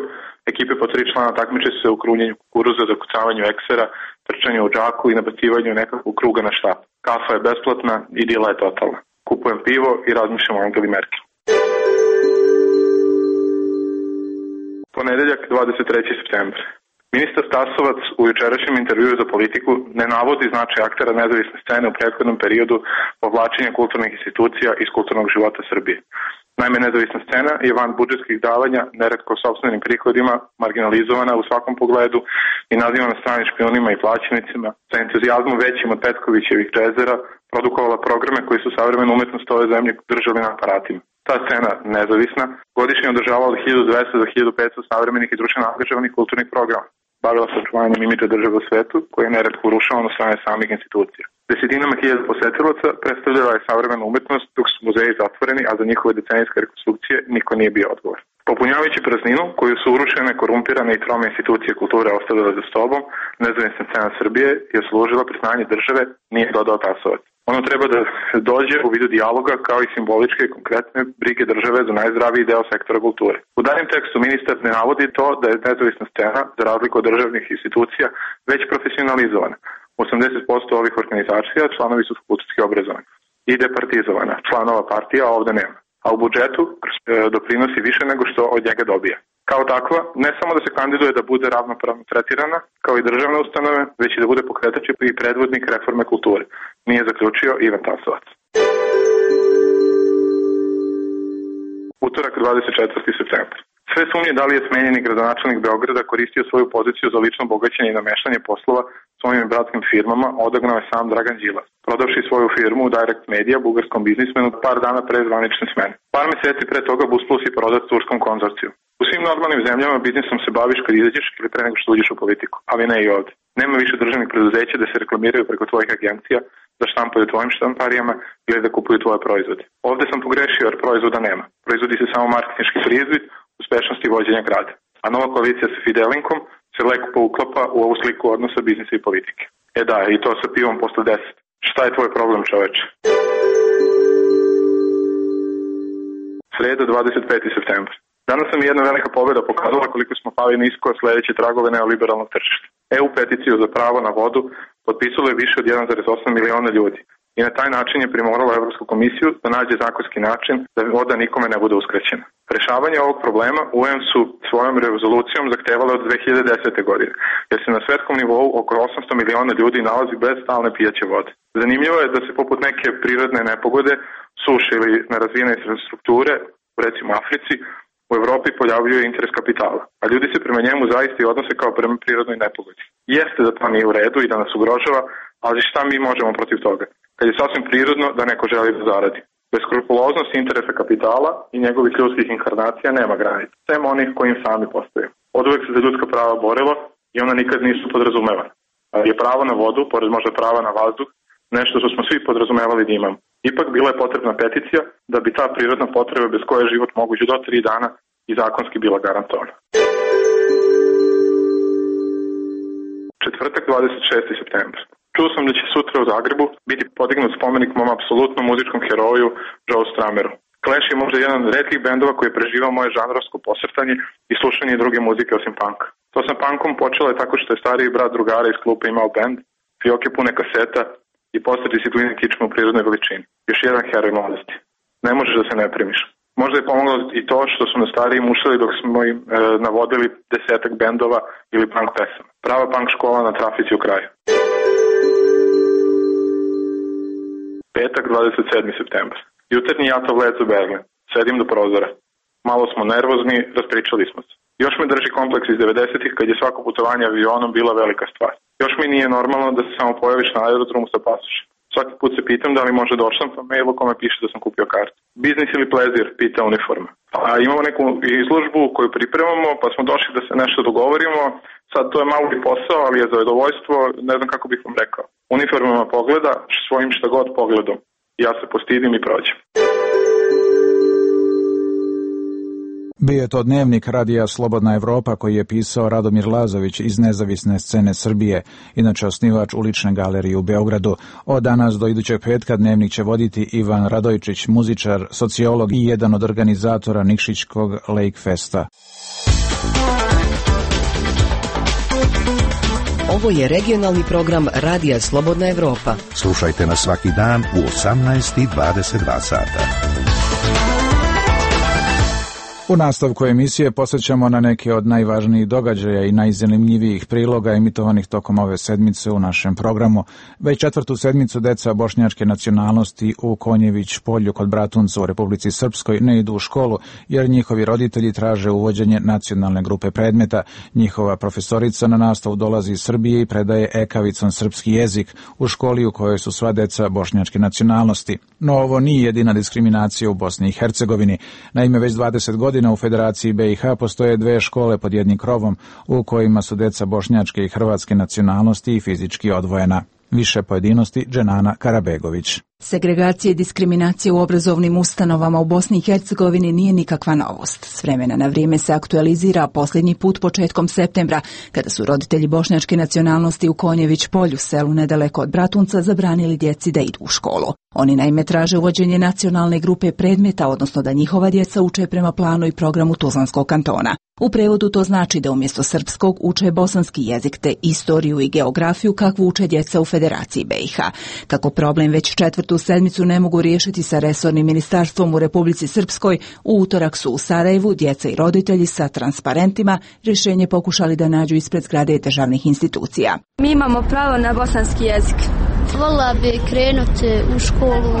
ekipe po tri člana takmiče se u krunjenju kukuruza, zakucavanju eksera, trčanju u džaku i nabacivanju nekakvog kruga na štap. Kafa je besplatna i dila je totalna. Kupujem pivo i razmišljam o Angeli Merkel. Ponedeljak dvadeset treći septembar. Ministar Tasovac u jučerašnjem intervjuu za Politiku ne navodi značaj aktera nezavisne scene u prethodnom periodu povlačenja kulturnih institucija iz kulturnog života Srbije. Naime, nezavisna scena je van budžetskih davanja, neretko sopstvenim prihodima, marginalizovana u svakom pogledu i nazivana stranim špionima i plaćenicima, sa entuzijazmom većim od Petkovićevih džezera, produkovala programe koji su savremenu umetnost ove zemlje držali na aparatima. Ta scena, nezavisna, godišnje održavala od hiljadu dvesta do hiljadu petsto savremenih i društveno angažovanih kulturnih programa. bavila se očuvanjem imidža države u svetu, koji je neretko urušavan od strane samih institucija. Desetinama hiljada posetilaca predstavljala je savremenu umetnost dok su muzeji zatvoreni, a za njihove decenijske rekonstrukcije niko nije bio odgovor. Popunjavajući prazninu koju su urušene, korumpirane i trome institucije kulture ostavile za sobom, nezavisna scena Srbije je služila priznanje države, nije dodao tasovac. Ono treba da dođe u vidu dijaloga kao i simboličke i konkretne brige države za najzdraviji deo sektora kulture. U daljem tekstu ministar ne navodi to da je nezavisna scena, za razliku od državnih institucija, već profesionalizovana. osamdeset posto ovih organizacija članovi su fakultetski obrazovani i departizovana. Članova partija ovde nema. A u budžetu doprinosi više nego što od njega dobija. Kao takva, ne samo da se kandiduje da bude ravnopravno tretirana, kao i državne ustanove, već i da bude pokretač i predvodnik reforme kulture. Nije zaključio Ivan Tasovac. Utorak, dvadeset četvrtog septembra. Sve sumnje da li je smenjeni gradonačelnik Beograda koristio svoju poziciju za lično bogaćenje i nameštanje poslova svojim bratskim firmama, odagnao je sam Dragan Đilas, prodavši svoju firmu u Direct Media bugarskom biznismenu par dana pre zvanične smene. Par meseci pre toga Busplus je prodat turskom konzorciju. U svim normalnim zemljama biznisom se baviš kad izađeš ili pre nego što uđeš u politiku, ali ne i ovde. Nema više državnih preduzeća da se reklamiraju preko tvojih agencija, da štampaju tvojim štamparijama ili da kupuju tvoje proizvode. Ovde sam pogrešio jer proizvoda nema. Proizvodi se samo marketinški prizvid, uspešnosti vođenja grada. A nova koalicija sa Fidelinkom se lepo pouklapa u ovu sliku odnosa biznisa i politike. E da, i to sa pivom posle deset. Šta je tvoj problem, čoveče? Sreda, dvadeset petog septembra. Danas nam je jedna velika pobjeda pokazala koliko smo pali nisko sledeće tragove neoliberalnog tržišta. E U peticiju za pravo na vodu potpisalo je više od jedan zarez osam miliona ljudi i na taj način je primorala Evropsku komisiju da nađe zakonski način da voda nikome ne bude uskraćena. Rešavanje ovog problema U N su svojom rezolucijom zahtevale od dve hiljade desete. godine, jer se na svetskom nivou oko osamsto miliona ljudi nalazi bez stalne pijaće vode. Zanimljivo je da se poput neke prirodne nepogode, suše ili nerazvijene infrastrukture, recimo Africi, u Evropi pojavljuje interes kapitala, a ljudi se prema njemu zaista i odnose kao prema prirodnoj nepogodi. Jeste da to nije u redu i da nas ugrožava, ali šta mi možemo protiv toga, kad je sasvim prirodno da neko želi da zaradi. Beskrupuloznost interesa kapitala i njegovih ljudskih inkarnacija nema granica, sem onih kojim sami postoje. Od uvek se za ljudska prava borilo i ona nikad nisu podrazumevana. Ali je pravo na vodu, pored možda prava na vazduh, nešto što smo svi podrazumevali da imamo. Ipak bila je potrebna peticija da bi ta prirodna potreba bez koje je život moguć do tri dana i zakonski bila garantovana. Četvrtak, dvadeset šestog septembra. Čuo sam da će sutra u Zagrebu biti podignut spomenik mom apsolutnom muzičkom heroju Joe Strameru. Clash je možda jedan od retkih bendova koji je preživao moje žanrovsko posrtanje i slušanje druge muzike osim punka. To sa punkom počelo je tako što je stariji brat drugara iz klupa imao bend, fioke pune kaseta i postati si Twin kičma u prirodnoj veličini. Još jedan heroj mladosti. Ne možeš da se ne primiš. Možda je pomoglo i to što su nas stariji mušali dok smo im e, navodili desetak bendova ili punk pesama. Prava punk škola na trafici u kraju. Petak, dvadeset sedmog septembra. Jutarnji jatov let za Berlin. Sedim do prozora. Malo smo nervozni, raspričali smo se. Još me drži kompleks iz devedesetih kad je svako putovanje avionom bila velika stvar. Još mi nije normalno da se samo pojaviš na aerodromu sa pasošem. Svaki put se pitam da li može da odštampam mail u kome piše da sam kupio kartu. Biznis ili plezir, pita uniforma. A imamo neku izložbu koju pripremamo, pa smo došli da se nešto dogovorimo. Sad to je malo i posao, ali je zadovoljstvo, ne znam kako bih vam rekao. Uniformama pogleda svojim šta god pogledom. Ja se postidim i prođem. Bio je to dnevnik radija Slobodna Evropa koji je pisao Radomir Lazović iz nezavisne scene Srbije, inače osnivač Ulične galerije u Beogradu. Od danas do idućeg petka dnevnik će voditi Ivan Radojčić, muzičar, sociolog i jedan od organizatora Nikšićkog Lake Festa. Ovo je regionalni program Radija Slobodna Evropa. Slušajte nas svaki dan u osamnaest i dvadeset dva sata. U nastavku emisije posjećamo na neke od najvažnijih događaja i najzanimljivijih priloga emitovanih tokom ove sedmice u našem programu. Već četvrtu sedmicu deca bošnjačke nacionalnosti u Konjević polju kod Bratunca u Republici Srpskoj ne idu u školu jer njihovi roditelji traže uvođenje nacionalne grupe predmeta. Njihova profesorica na nastavu dolazi iz Srbije i predaje ekavicom srpski jezik u školi u kojoj su sva deca bošnjačke nacionalnosti. No ovo nije jedina diskriminacija u Bosni i Hercegovini. Naime, već dvadeset godina godina u Federaciji B i H postoje dve škole pod jednim krovom u kojima su deca bošnjačke i hrvatske nacionalnosti i fizički odvojena. Više pojedinosti Dženana Karabegović. Segregacija i diskriminacija u obrazovnim ustanovama u Bosni i Hercegovini nije nikakva novost. S vremena na vrijeme se aktualizira, posljednji put početkom septembra, kada su roditelji bošnjačke nacionalnosti u Konjević polju, selu nedaleko od Bratunca, zabranili djeci da idu u školu. Oni naime traže uvođenje nacionalne grupe predmeta, odnosno da njihova djeca uče prema planu i programu Tuzlanskog kantona. U prevodu to znači da umjesto srpskog uče bosanski jezik te istoriju i geografiju kakvu uče djeca u Federaciji B i H. Kako problem već četvrtu sedmicu ne mogu riješiti sa resornim ministarstvom u Republici Srpskoj, u utorak su u Sarajevu djeca i roditelji sa transparentima rješenje pokušali da nađu ispred zgrade državnih institucija. Mi imamo pravo na bosanski jezik. Volila bi krenuti u školu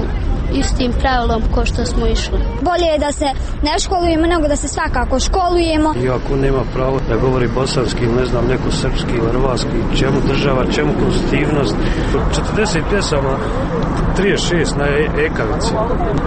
istim pravilom ko što smo išli. Bolje je da se ne školujemo nego da se svakako školujemo. Iako nema pravo da govori bosanski ili ne znam neko srpski ili hrvatski, čemu država, čemu konstitutivnost. četrdeset pjesama, trideset šest na ekavici,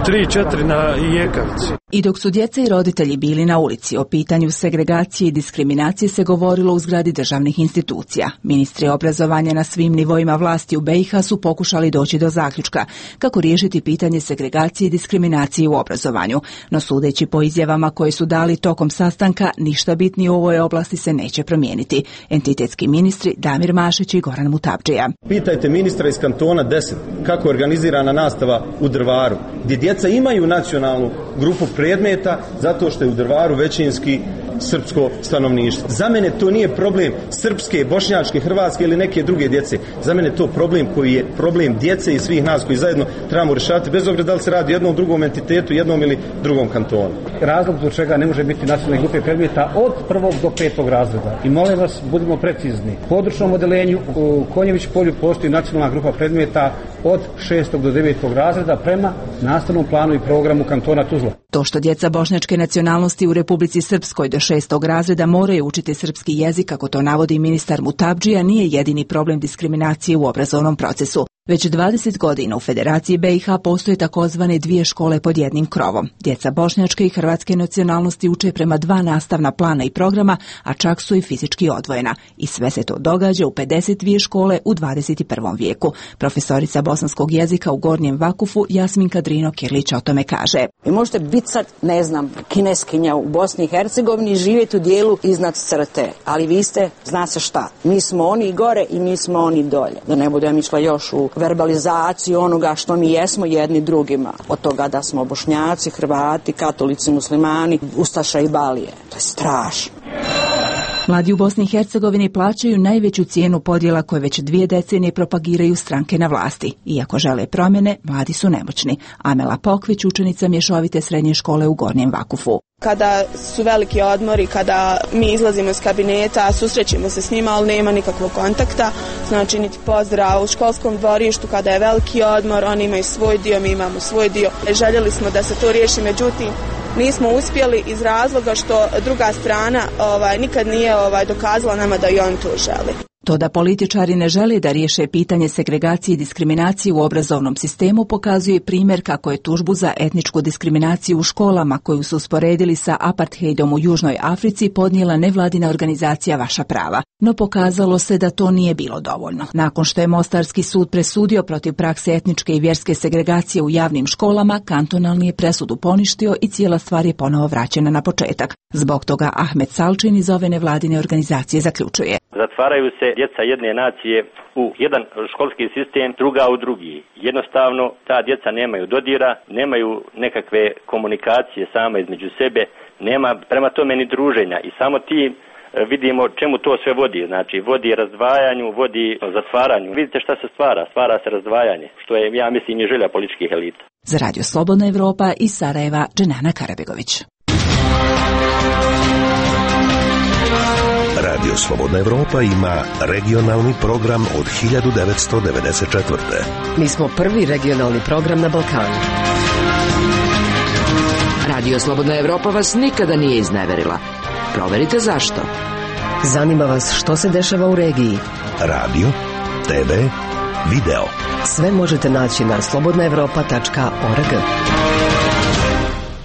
tri četiri na ekavici. I dok su djeca i roditelji bili na ulici, o pitanju segregacije i diskriminacije se govorilo u zgradi državnih institucija. Ministri obrazovanja na svim nivoima vlasti u B i H su pokušali doći do zaključka kako riješiti pitanje segregacije i diskriminacije u obrazovanju. No sudeći po izjavama koje su dali tokom sastanka, ništa bitnije u ovoj oblasti se neće promijeniti. Entitetski ministri Damir Mašić i Goran Mutapdžija. Pitajte ministra iz kantona deset kako je organizirana nastava u Drvaru, gdje djeca imaju nacionalnu grupu predmeta zato što je u Drvaru većinski srpsko stanovništvo. Za mene to nije problem srpske, bošnjačke, hrvatske ili neke druge djece. Za mene je to problem koji je problem djece i svih nas koji zajedno trebamo rješavati bez obzira da li se radi o jednom drugom entitetu, jednom ili drugom kantonu. Razlog zbog čega ne može biti nacionalne grupe predmeta od prvog do petog razreda. I molim vas, budimo precizni. U područnom odeljenju u Konjević polju postoji nacionalna grupa predmeta od šestog do devetog razreda prema nastavnom planu i programu kantona Tuzla. To što djeca bošnjačke nacionalnosti u Republici Srpskoj do šestog razreda moraju učiti srpski jezik, kako to navodi ministar Mutapdžija, nije jedini problem diskriminacije u obrazovnom procesu. Već dvadeset godina u Federaciji B i H postoje takozvane dvije škole pod jednim krovom. Djeca bošnjačke i hrvatske nacionalnosti uče prema dva nastavna plana i programa, a čak su i fizički odvojena. I sve se to događa u pedeset dvije škole u dvadeset prvom vijeku. Profesorica bosanskog jezika u Gornjem Vakufu Jasminka Drino-Kirlić o tome kaže. Vi možete biti sad, ne znam, kineskinja u Bosni i Hercegovini i živjeti u dijelu iznad crte, ali vi ste, zna se šta, mi smo oni gore i mi smo oni dolje. Da ne budem išla još u verbalizaciju onoga što mi jesmo jedni drugima. Od toga da smo Bošnjaci, Hrvati, katolici, muslimani, ustaša i balije. To je strašno. Mladi u Bosni i Hercegovini plaćaju najveću cijenu podjela koje već dvije decenije propagiraju stranke na vlasti. Iako žele promjene, mladi su nemoćni. Amela Pokvić, učenica mješovite srednje škole u Gornjem Vakufu. Kada su veliki odmori, kada mi izlazimo iz kabineta, susrećemo se s njima, ali nema nikakvog kontakta, znači niti pozdrav. U školskom dvorištu kada je veliki odmor, oni imaju svoj dio, mi imamo svoj dio. Željeli smo da se to riješi, međutim nismo uspjeli iz razloga što druga strana ovaj, nikad nije ovaj, dokazala nama da i oni to žele. To da političari ne žele da riješe pitanje segregacije i diskriminacije u obrazovnom sistemu pokazuje primjer kako je tužbu za etničku diskriminaciju u školama koju su usporedili sa apartheidom u Južnoj Africi podnijela nevladina organizacija Vaša prava. No pokazalo se da to nije bilo dovoljno. Nakon što je Mostarski sud presudio protiv prakse etničke i vjerske segregacije u javnim školama, kantonalni je presudu poništio i cijela stvar je ponovo vraćena na početak. Zbog toga Ahmet Salčin iz ove nevladine organizacije zaključuje. Zatvaraju se djeca jedne nacije u jedan školski sistem, druga u drugi. Jednostavno, ta djeca nemaju dodira, nemaju nekakve komunikacije sama između sebe, nema prema tome ni druženja i samo ti vidimo čemu to sve vodi. Znači, vodi razdvajanju, vodi zatvaranju. Vidite šta se stvara? Stvara se razdvajanje, što je, ja mislim, i želja političkih elita. Za Radio Slobodna Evropa iz Sarajeva, Dženana Karabegović. Radio Slobodna Evropa ima regionalni program od hiljadu devetsto devedeset četvrte. Mi smo prvi regionalni program na Balkanu. Radio Slobodna Evropa vas nikada nije izneverila. Proverite zašto. Zanima vas što se dešava u regiji. Radio, te ve, video. Sve možete naći na slobodna evropa tačka org.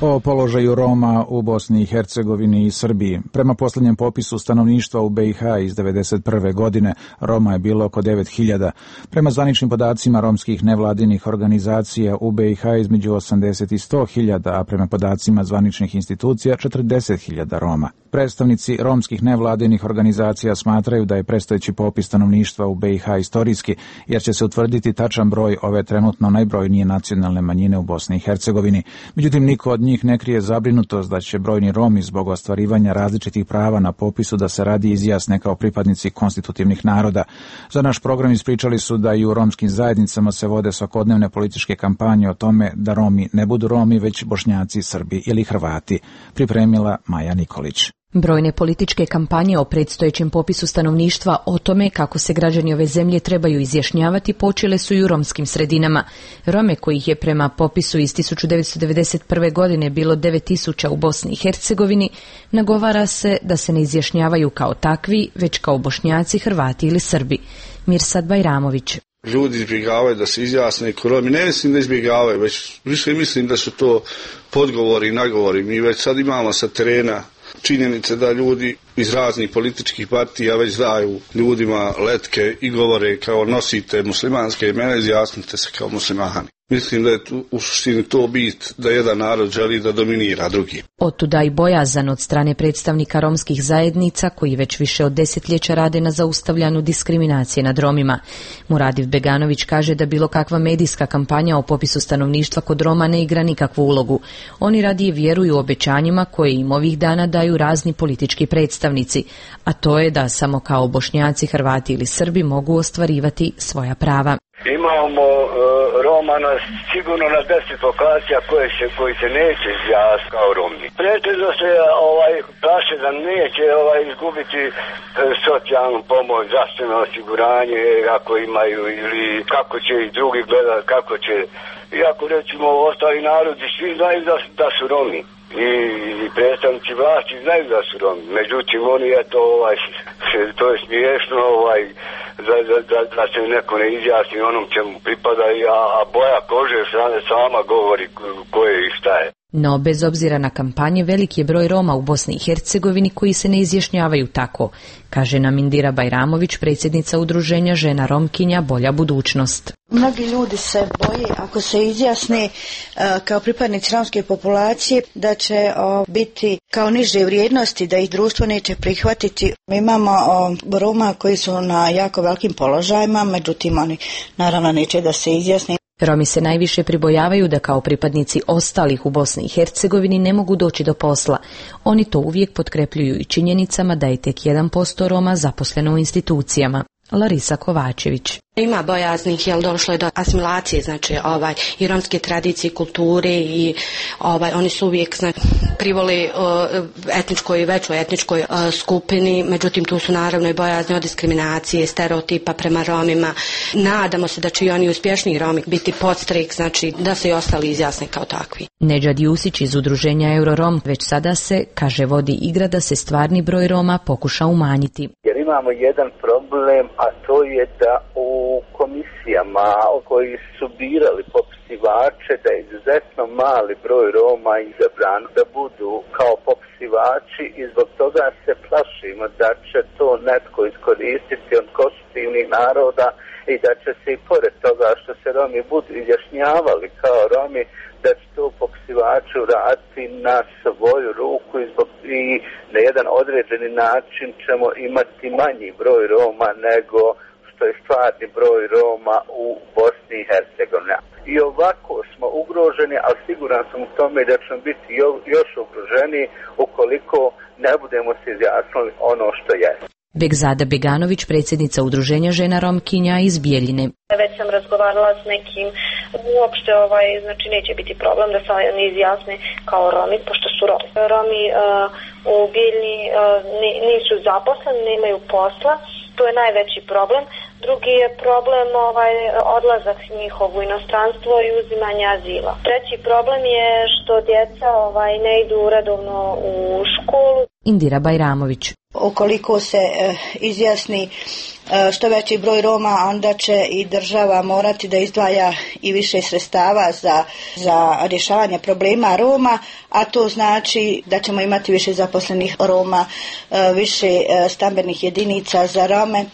O položaju Roma u Bosni i Hercegovini i Srbiji. Prema posljednjem popisu stanovništva u B i H iz devedeset prve godine Roma je bilo oko devet hiljada. Prema zvaničnim podacima romskih nevladinih organizacija u B i H između osamdeset i sto hiljada, a prema podacima zvaničnih institucija četrdeset hiljada Roma. Predstavnici romskih nevladinih organizacija smatraju da je predstojeći popis stanovništva u B i H istorijski, jer će se utvrditi tačan broj ove trenutno najbrojnije nacionalne manjine u Bosni i Hercegovini. Međutim, niko od njih ne krije zabrinutost da će brojni Romi zbog ostvarivanja različitih prava na popisu da se radi izjasne kao pripadnici konstitutivnih naroda. Za naš program ispričali su da i u romskim zajednicama se vode svakodnevne političke kampanje o tome da Romi ne budu Romi, već Bošnjaci, Srbi ili Hrvati. Pripremila Maja Nikolić. Brojne političke kampanje o predstojećem popisu stanovništva o tome kako se građani ove zemlje trebaju izjašnjavati počele su i u romskim sredinama. Rome, kojih je prema popisu iz tisuću devetsto devedeset prve godine bilo devet tisuća u Bosni i Hercegovini, nagovara se da se ne izjašnjavaju kao takvi, već kao Bošnjaci, Hrvati ili Srbi. Mirsad Bajramović. Ljudi izbjegavaju da se izjasne ko Romi. Ne mislim da izbjegavaju, već više mislim da su to podgovori i nagovori. Mi već sad imamo sa terena činjenice da ljudi iz raznih političkih partija već daju ljudima letke i govore kao nosite muslimanske imena, izjasnite se kao muslimani. Mislim da je tu, u suštini to bit da jedan narod želi da dominira drugi. Otuda i bojazan od strane predstavnika romskih zajednica koji već više od desetljeća rade na zaustavljanju diskriminacije nad Romima. Muradiv Beganović kaže da bilo kakva medijska kampanja o popisu stanovništva kod Roma ne igra nikakvu ulogu. Oni radije vjeruju obećanjima koje im ovih dana daju razni politički predstavnici, a to je da samo kao Bošnjaci, Hrvati ili Srbi mogu ostvarivati svoja prava. Imamo uh, Roma na, sigurno na deset lokacija koje se, koji se neće izjasniti kao Romi. Pretežno se ovaj, plaše da neće ovaj, izgubiti uh, socijalnu pomoć, zdravstveno osiguranje ako imaju, ili kako će i drugi gledati, kako će. Iako recimo ostali narodi svi znaju da, da su Romi. I, i predstavnici vlasti znaju da su Romi. Međutim, oni je to, ovaj, to je smiješno, ovaj, da, da, da, da se neko ne izjasni onom čemu pripada, a, a boja kože sama govori ko je i šta je. No, bez obzira na kampanje, veliki je broj Roma u Bosni i Hercegovini koji se ne izjašnjavaju tako, kaže nam Indira Bajramović, predsjednica udruženja Žena Romkinja Bolja budućnost. Mnogi ljudi se boje ako se izjasne uh, kao pripadnici romske populacije da će uh, biti kao niže vrijednosti, da ih društvo neće prihvatiti. Mi imamo uh, Roma koji su na jako velikim položajima, međutim oni naravno neće da se izjasne. Romi se najviše pribojavaju da kao pripadnici ostalih u Bosni i Hercegovini ne mogu doći do posla. Oni to uvijek potkrepljuju i činjenicama da je tek jedan posto Roma zaposleno u institucijama. Larisa Kovačević. Ima bojaznih, jel došlo je do asimilacije, znači ovaj i romske tradicije, kulture i ovaj oni su uvijek znači privoli uh, etničkoj i većoj etničkoj uh, skupini, međutim tu su naravno i bojazni od diskriminacije, stereotipa prema Romima. Nadamo se da će i oni uspješni Romi biti podstrek, znači da se i ostali izjasne kao takvi. Nedžad Jusić iz udruženja Eurorom već sada se, kaže, vodi igra da se stvarni broj Roma pokuša umanjiti. Jer imamo jedan problem, a to je da u komisijama koji su birali popisivače da je izuzetno mali broj Roma izabran da budu kao popisivači i zbog toga se plašimo da će to netko iskoristiti od konstitutivnih naroda i da će se i pored toga što se Romi budu izjašnjavali kao Romi, da će to popisivači uraditi na svoju ruku i, zbog, i na jedan određeni način ćemo imati manji broj Roma nego što je stvarni broj Roma u Bosni i Hercegovini. I ovako smo ugroženi, ali siguran sam u tome da ćemo biti još ugroženi ukoliko ne budemo se izjasnili ono što je. Begzada Beganović, predsjednica udruženja Žena Romkinja iz Bijeljine. Već sam razgovarala s nekim, uopšte ovaj, znači neće biti problem da se oni izjasne kao Romi, pošto su Romi. Romi uh, u Bijeljini uh, nisu zaposleni, nemaju posla, to je najveći problem. Drugi je problem ovaj odlazak njihov u inostranstvo i uzimanje azila. Treći problem je što djeca ovaj ne idu redovno u školu. Indira Bajramović. Ukoliko se e, izjasni e, što veći broj Roma, onda će i država morati da izdvaja i više sredstava za, za rješavanje problema Roma, a to znači da ćemo imati više zaposlenih Roma, e, više e, stambenih jedinica za Rome,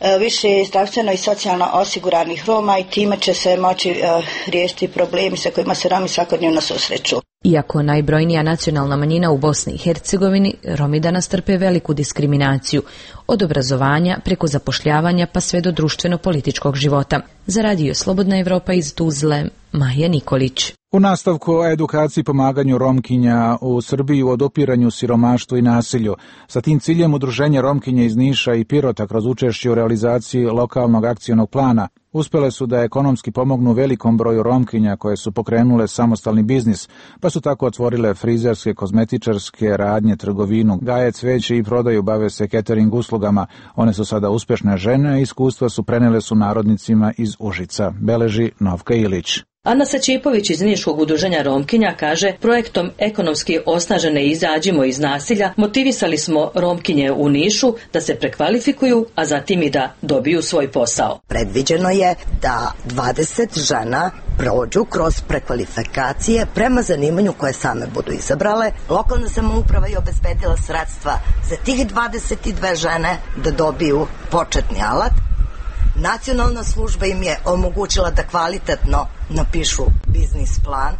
e, više zdravstveno i socijalno osiguranih Roma i time će se moći e, riješiti problemi sa kojima se Romi svakodnevno susreću. Iako najbrojnija nacionalna manjina u Bosni i Hercegovini, Romi danas trpe veliku diskriminaciju, od obrazovanja preko zapošljavanja pa sve do društveno-političkog života. Za Radio Slobodna Evropa iz Tuzle, Maja Nikolić. U nastavku o edukaciji pomaganju Romkinja u Srbiji u odupiranju siromaštvu i nasilju. Sa tim ciljem Udruženje Romkinja iz Niša i Pirota kroz učešće u realizaciji lokalnog akcionog plana uspjele su da ekonomski pomognu velikom broju Romkinja koje su pokrenule samostalni biznis, pa su tako otvorile frizerske, kozmetičarske radnje, trgovinu, gaje cveće i prodaju, bave se catering uslugama. One su sada uspješne žene, a iskustva su prenele su narodnicima iz Užica, beleži Novka Ilić. Ana Sačipović iz Niškog udruženja Romkinja kaže, projektom ekonomski osnažene izađimo iz nasilja motivisali smo Romkinje u Nišu da se prekvalifikuju, a zatim i da dobiju svoj posao. Predviđeno je da dvadeset žena prođu kroz prekvalifikacije prema zanimanju koje same budu izabrale. Lokalna samouprava je obezbedila sredstva za tih dvadeset dve žene da dobiju početni alat. Nacionalna služba im je omogućila da kvalitetno napišu biznis plan.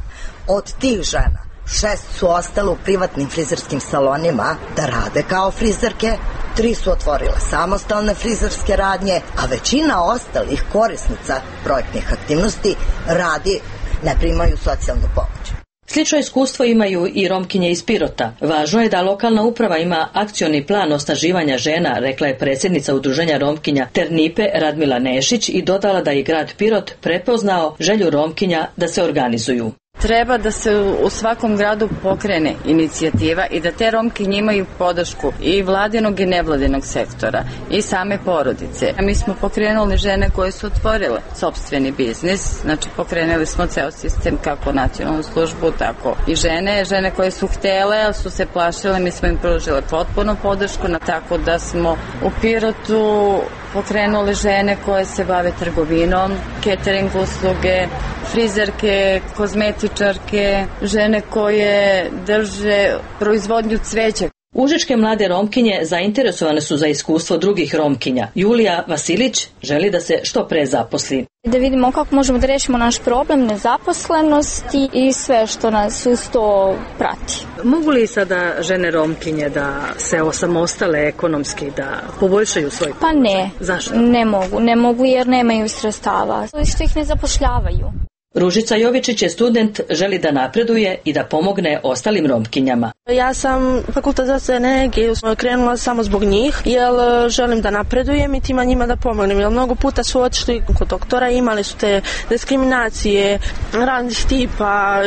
Od tih žena šest su ostale u privatnim frizerskim salonima da rade kao frizerke, tri su otvorile samostalne frizerske radnje, a većina ostalih korisnica projektnih aktivnosti radi, ne primaju socijalnu pomoć. Slično iskustvo imaju i Romkinje iz Pirota. Važno je da lokalna uprava ima akcioni plan osnaživanja žena, rekla je predsjednica Udruženja Romkinja Ternipe Radmila Nešić i dodala da je grad Pirot prepoznao želju Romkinja da se organizuju. Treba da se u svakom gradu pokrene inicijativa i da te Romkinje imaju podršku i vladinog i nevladinog sektora i same porodice. Mi smo pokrenuli žene koje su otvorile sopstveni biznis, znači pokrenuli smo ceo sistem kako nacionalnu službu, tako i žene, žene koje su htjele, ali su se plašile, mi smo im pružile potpuno podršku, tako da smo u Pirotu pokrenuli žene koje se bave trgovinom, catering usluge, frizerke, kozmetičarke, žene koje drže proizvodnju cveća. Užičke mlade Romkinje zainteresovane su za iskustvo drugih Romkinja. Julija Vasilić želi da se što pre zaposli. Da vidimo kako možemo da rešimo naš problem nezaposlenosti i sve što nas uz to prati. Mogu li sada žene Romkinje da se osamostale ekonomski, da poboljšaju svoj... Pa ne. Zašto? Ne mogu. Ne mogu jer nemaju sredstava. Što ih ne zapošljavaju. Ružica Jovičić je student, želi da napreduje i da pomogne ostalim Romkinjama. Ja sam fakultet za energiju krenula samo zbog njih, jer želim da napredujem i tima njima da pomognem. Jer mnogo puta su otišli kod doktora, imali su te diskriminacije, raznih tipa,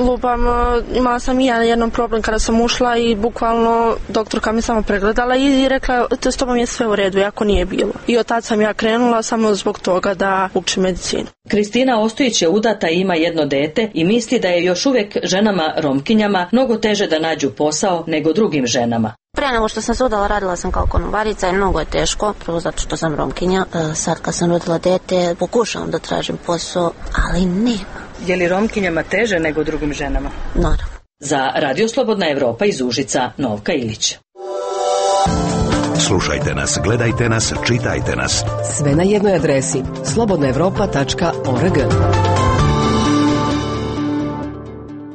lupam, imala sam i ja jedan problem kada sam ušla i bukvalno doktorka me samo pregledala i rekla to s tobom je sve u redu, jako nije bilo. I od tad sam ja krenula samo zbog toga da učim medicinu. Kristina Ostojić je udata i ima jedno dete i misli da je još uvijek ženama Romkinjama mnogo teže da nađu posao nego drugim ženama. Prije nego što sam se udala radila sam kao konobarica i mnogo je teško, prvo zato što sam Romkinja. Sad kad sam rodila dete pokušavam da tražim posao, ali nema. Je li Romkinjama teže nego drugim ženama? Naravno. Za Radio Slobodna Evropa iz Užica, Novka Ilić. Slušajte nas, gledajte nas, čitajte nas. Sve na jednoj adresi slobodna evropa tačka org.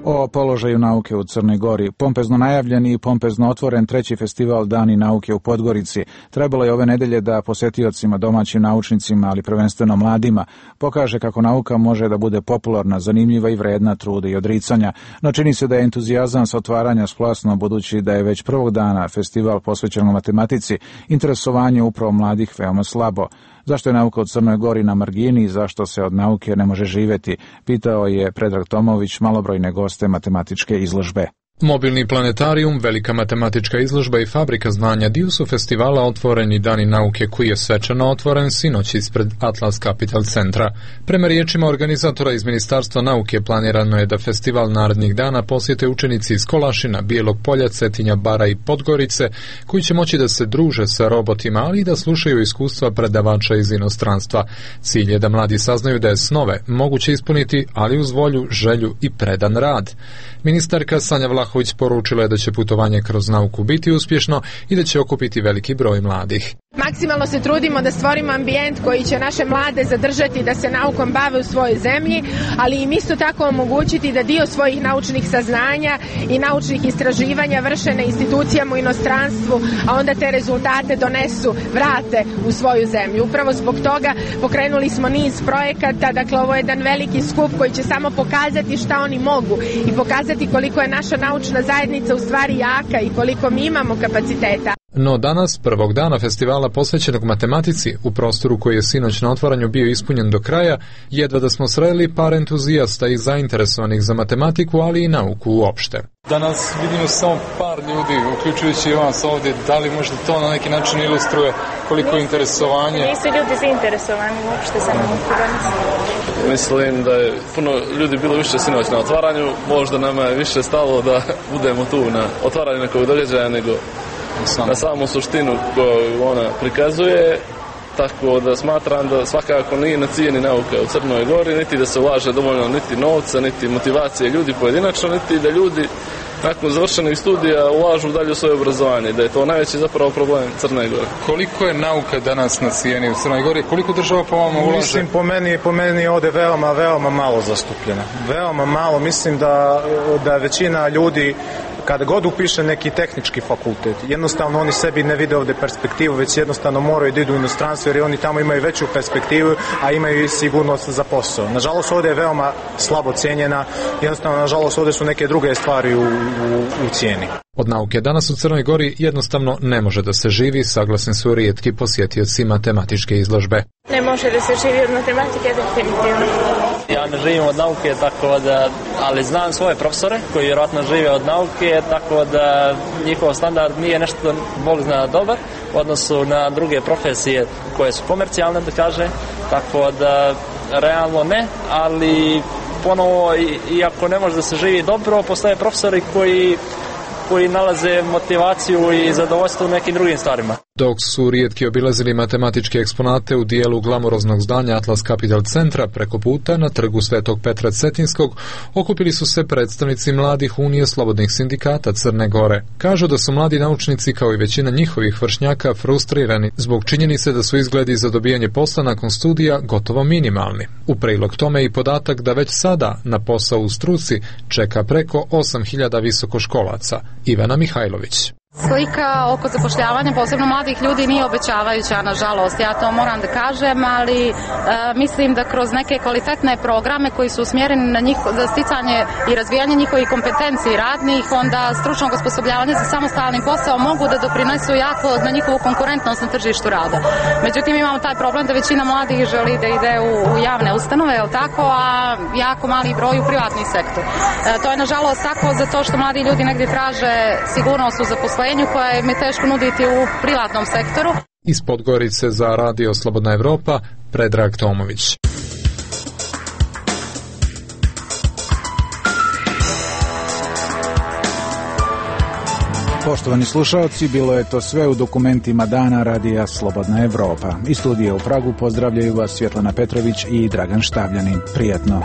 O položaju nauke u Crnoj Gori. Pompezno najavljen i pompezno otvoren treći festival Dani nauke u Podgorici. Trebalo je ove nedelje da posetiocima, domaćim naučnicima, ali prvenstveno mladima, pokaže kako nauka može da bude popularna, zanimljiva i vredna truda i odricanja. No čini se da je entuzijazam sa otvaranja splasno, budući da je već prvog dana festival posvećen matematici, interesovanje upravo mladih veoma slabo. Zašto je nauka u Crnoj Gori na margini i zašto se od nauke ne može živjeti, pitao je Predrag Tomović malobrojne goste matematičke izložbe. Mobilni planetarijum, velika matematička izložba i fabrika znanja dio su festivala Otvoreni dani nauke koji je svečano otvoren sinoć ispred Atlas Capital centra. Prema riječima organizatora iz Ministarstva nauke planirano je da festival narednih dana posjete učenici iz Kolašina, Bijelog Polja, Cetinja, Bara i Podgorice koji će moći da se druže sa robotima, ali i da slušaju iskustva predavača iz inostranstva. Cilj je da mladi saznaju da je snove moguće ispuniti, ali uz volju, želju i predan rad. Ministarka Sanja Vlahović poručila je da će putovanje kroz nauku biti uspješno i da će okupiti veliki broj mladih. Maksimalno se trudimo da stvorimo ambijent koji će naše mlade zadržati da se naukom bave u svojoj zemlji, ali im isto tako omogućiti da dio svojih naučnih saznanja i naučnih istraživanja vrše na institucijama u inostranstvu, a onda te rezultate donesu, vrate u svoju zemlju. Upravo zbog toga pokrenuli smo niz projekata, dakle ovo je jedan veliki skup koji će samo pokazati šta oni mogu i pokazati koliko je naša naučna zajednica u stvari jaka i koliko mi imamo kapaciteta. No danas, prvog dana festivala posvećenog matematici, u prostoru koji je sinoć na otvaranju bio ispunjen do kraja, jedva da smo sreli par entuzijasta i zainteresovanih za matematiku, ali i nauku uopšte. Danas vidimo samo par ljudi, uključujući i vas ovdje. Da li možda to na neki način ilustruje koliko je interesovanje? Nisu ljudi zainteresovani uopšte za nauku danas. Mislim da je puno ljudi bilo više sinoć na otvaranju, možda nama je više stalo da budemo tu na otvaranju nekog događaja nego na samu suštinu koju ona prikazuje, tako da smatram da svakako nije na cijeni nauka u Crnoj Gori, niti da se ulaže dovoljno niti novca, niti motivacije ljudi pojedinačno, niti da ljudi nakon završenih studija ulažu dalje u svoje obrazovanje, da je to najveći zapravo problem Crne Gore. Koliko je nauka danas na cijeni u Crnoj Gori? Koliko država po vama ulaže? Mislim, po meni, po meni je ovdje veoma, veoma malo zastupljena. Veoma malo, mislim da, da većina ljudi kada god upiše neki tehnički fakultet, jednostavno oni sebi ne vide ovdje perspektivu, već jednostavno moraju da idu u inostranstvo jer oni tamo imaju veću perspektivu, a imaju i sigurnost za posao. Nažalost, ovdje je veoma slabo cijenjena, jednostavno, nažalost, ovdje su neke druge stvari u, u, u cijeni. Od nauke danas u Crnoj Gori jednostavno ne može da se živi, saglasni su rijetki posjetioci matematičke izložbe. Ne može da se živi od matematike, definitivno. Ja ne živim od nauke, tako da, ali znam svoje profesore koji vjerojatno žive od nauke, tako da njihov standard nije nešto, Bog zna, dobar u odnosu na druge profesije koje su komercijalne, da kaže, tako da realno ne, ali ponovo, iako ne može da se živi dobro, postoje profesori koji koji nalaze motivaciju i zadovoljstvo u nekim drugim stvarima. Dok su rijetki obilazili matematičke eksponate u dijelu glamuroznog zdanja Atlas Capital centra, preko puta na trgu Svetog Petra Cetinskog okupili su se predstavnici mladih unije slobodnih sindikata Crne Gore. Kažu da su mladi naučnici kao i većina njihovih vršnjaka frustrirani zbog činjenice da su izgledi za dobijanje posla nakon studija gotovo minimalni. U prilog tome i podatak da već sada na posao u struci čeka preko osam hiljada visokoškolaca. Ivana Mihajlović. Slika oko zapošljavanja, posebno mladih ljudi, nije obećavajuća, nažalost. Ja to moram da kažem, ali e, mislim da kroz neke kvalitetne programe koji su usmjereni na njih, za sticanje i razvijanje njihovih kompetenciji radnih, onda stručnog osposobljavanja za samostalni posao mogu da doprinesu jako na njihovu konkurentnost na tržištu rada. Međutim, imamo taj problem da većina mladih želi da ide u, u javne ustanove, je li tako, a jako mali broj u privatni sektor. E, to je nažalost tako zato što mladi ljudi negdje traže sigurnost u zaposlenju koje im je teško nuditi u privatnom sektoru. Iz Podgorice za Radio Slobodna Evropa, Predrag Tomović. Poštovani slušalci, bilo je to sve u dokumentima dana Radija Slobodna Evropa. Iz studija u Pragu pozdravljaju vas Svjetlana Petrović i Dragan Štavljanin. Prijatno.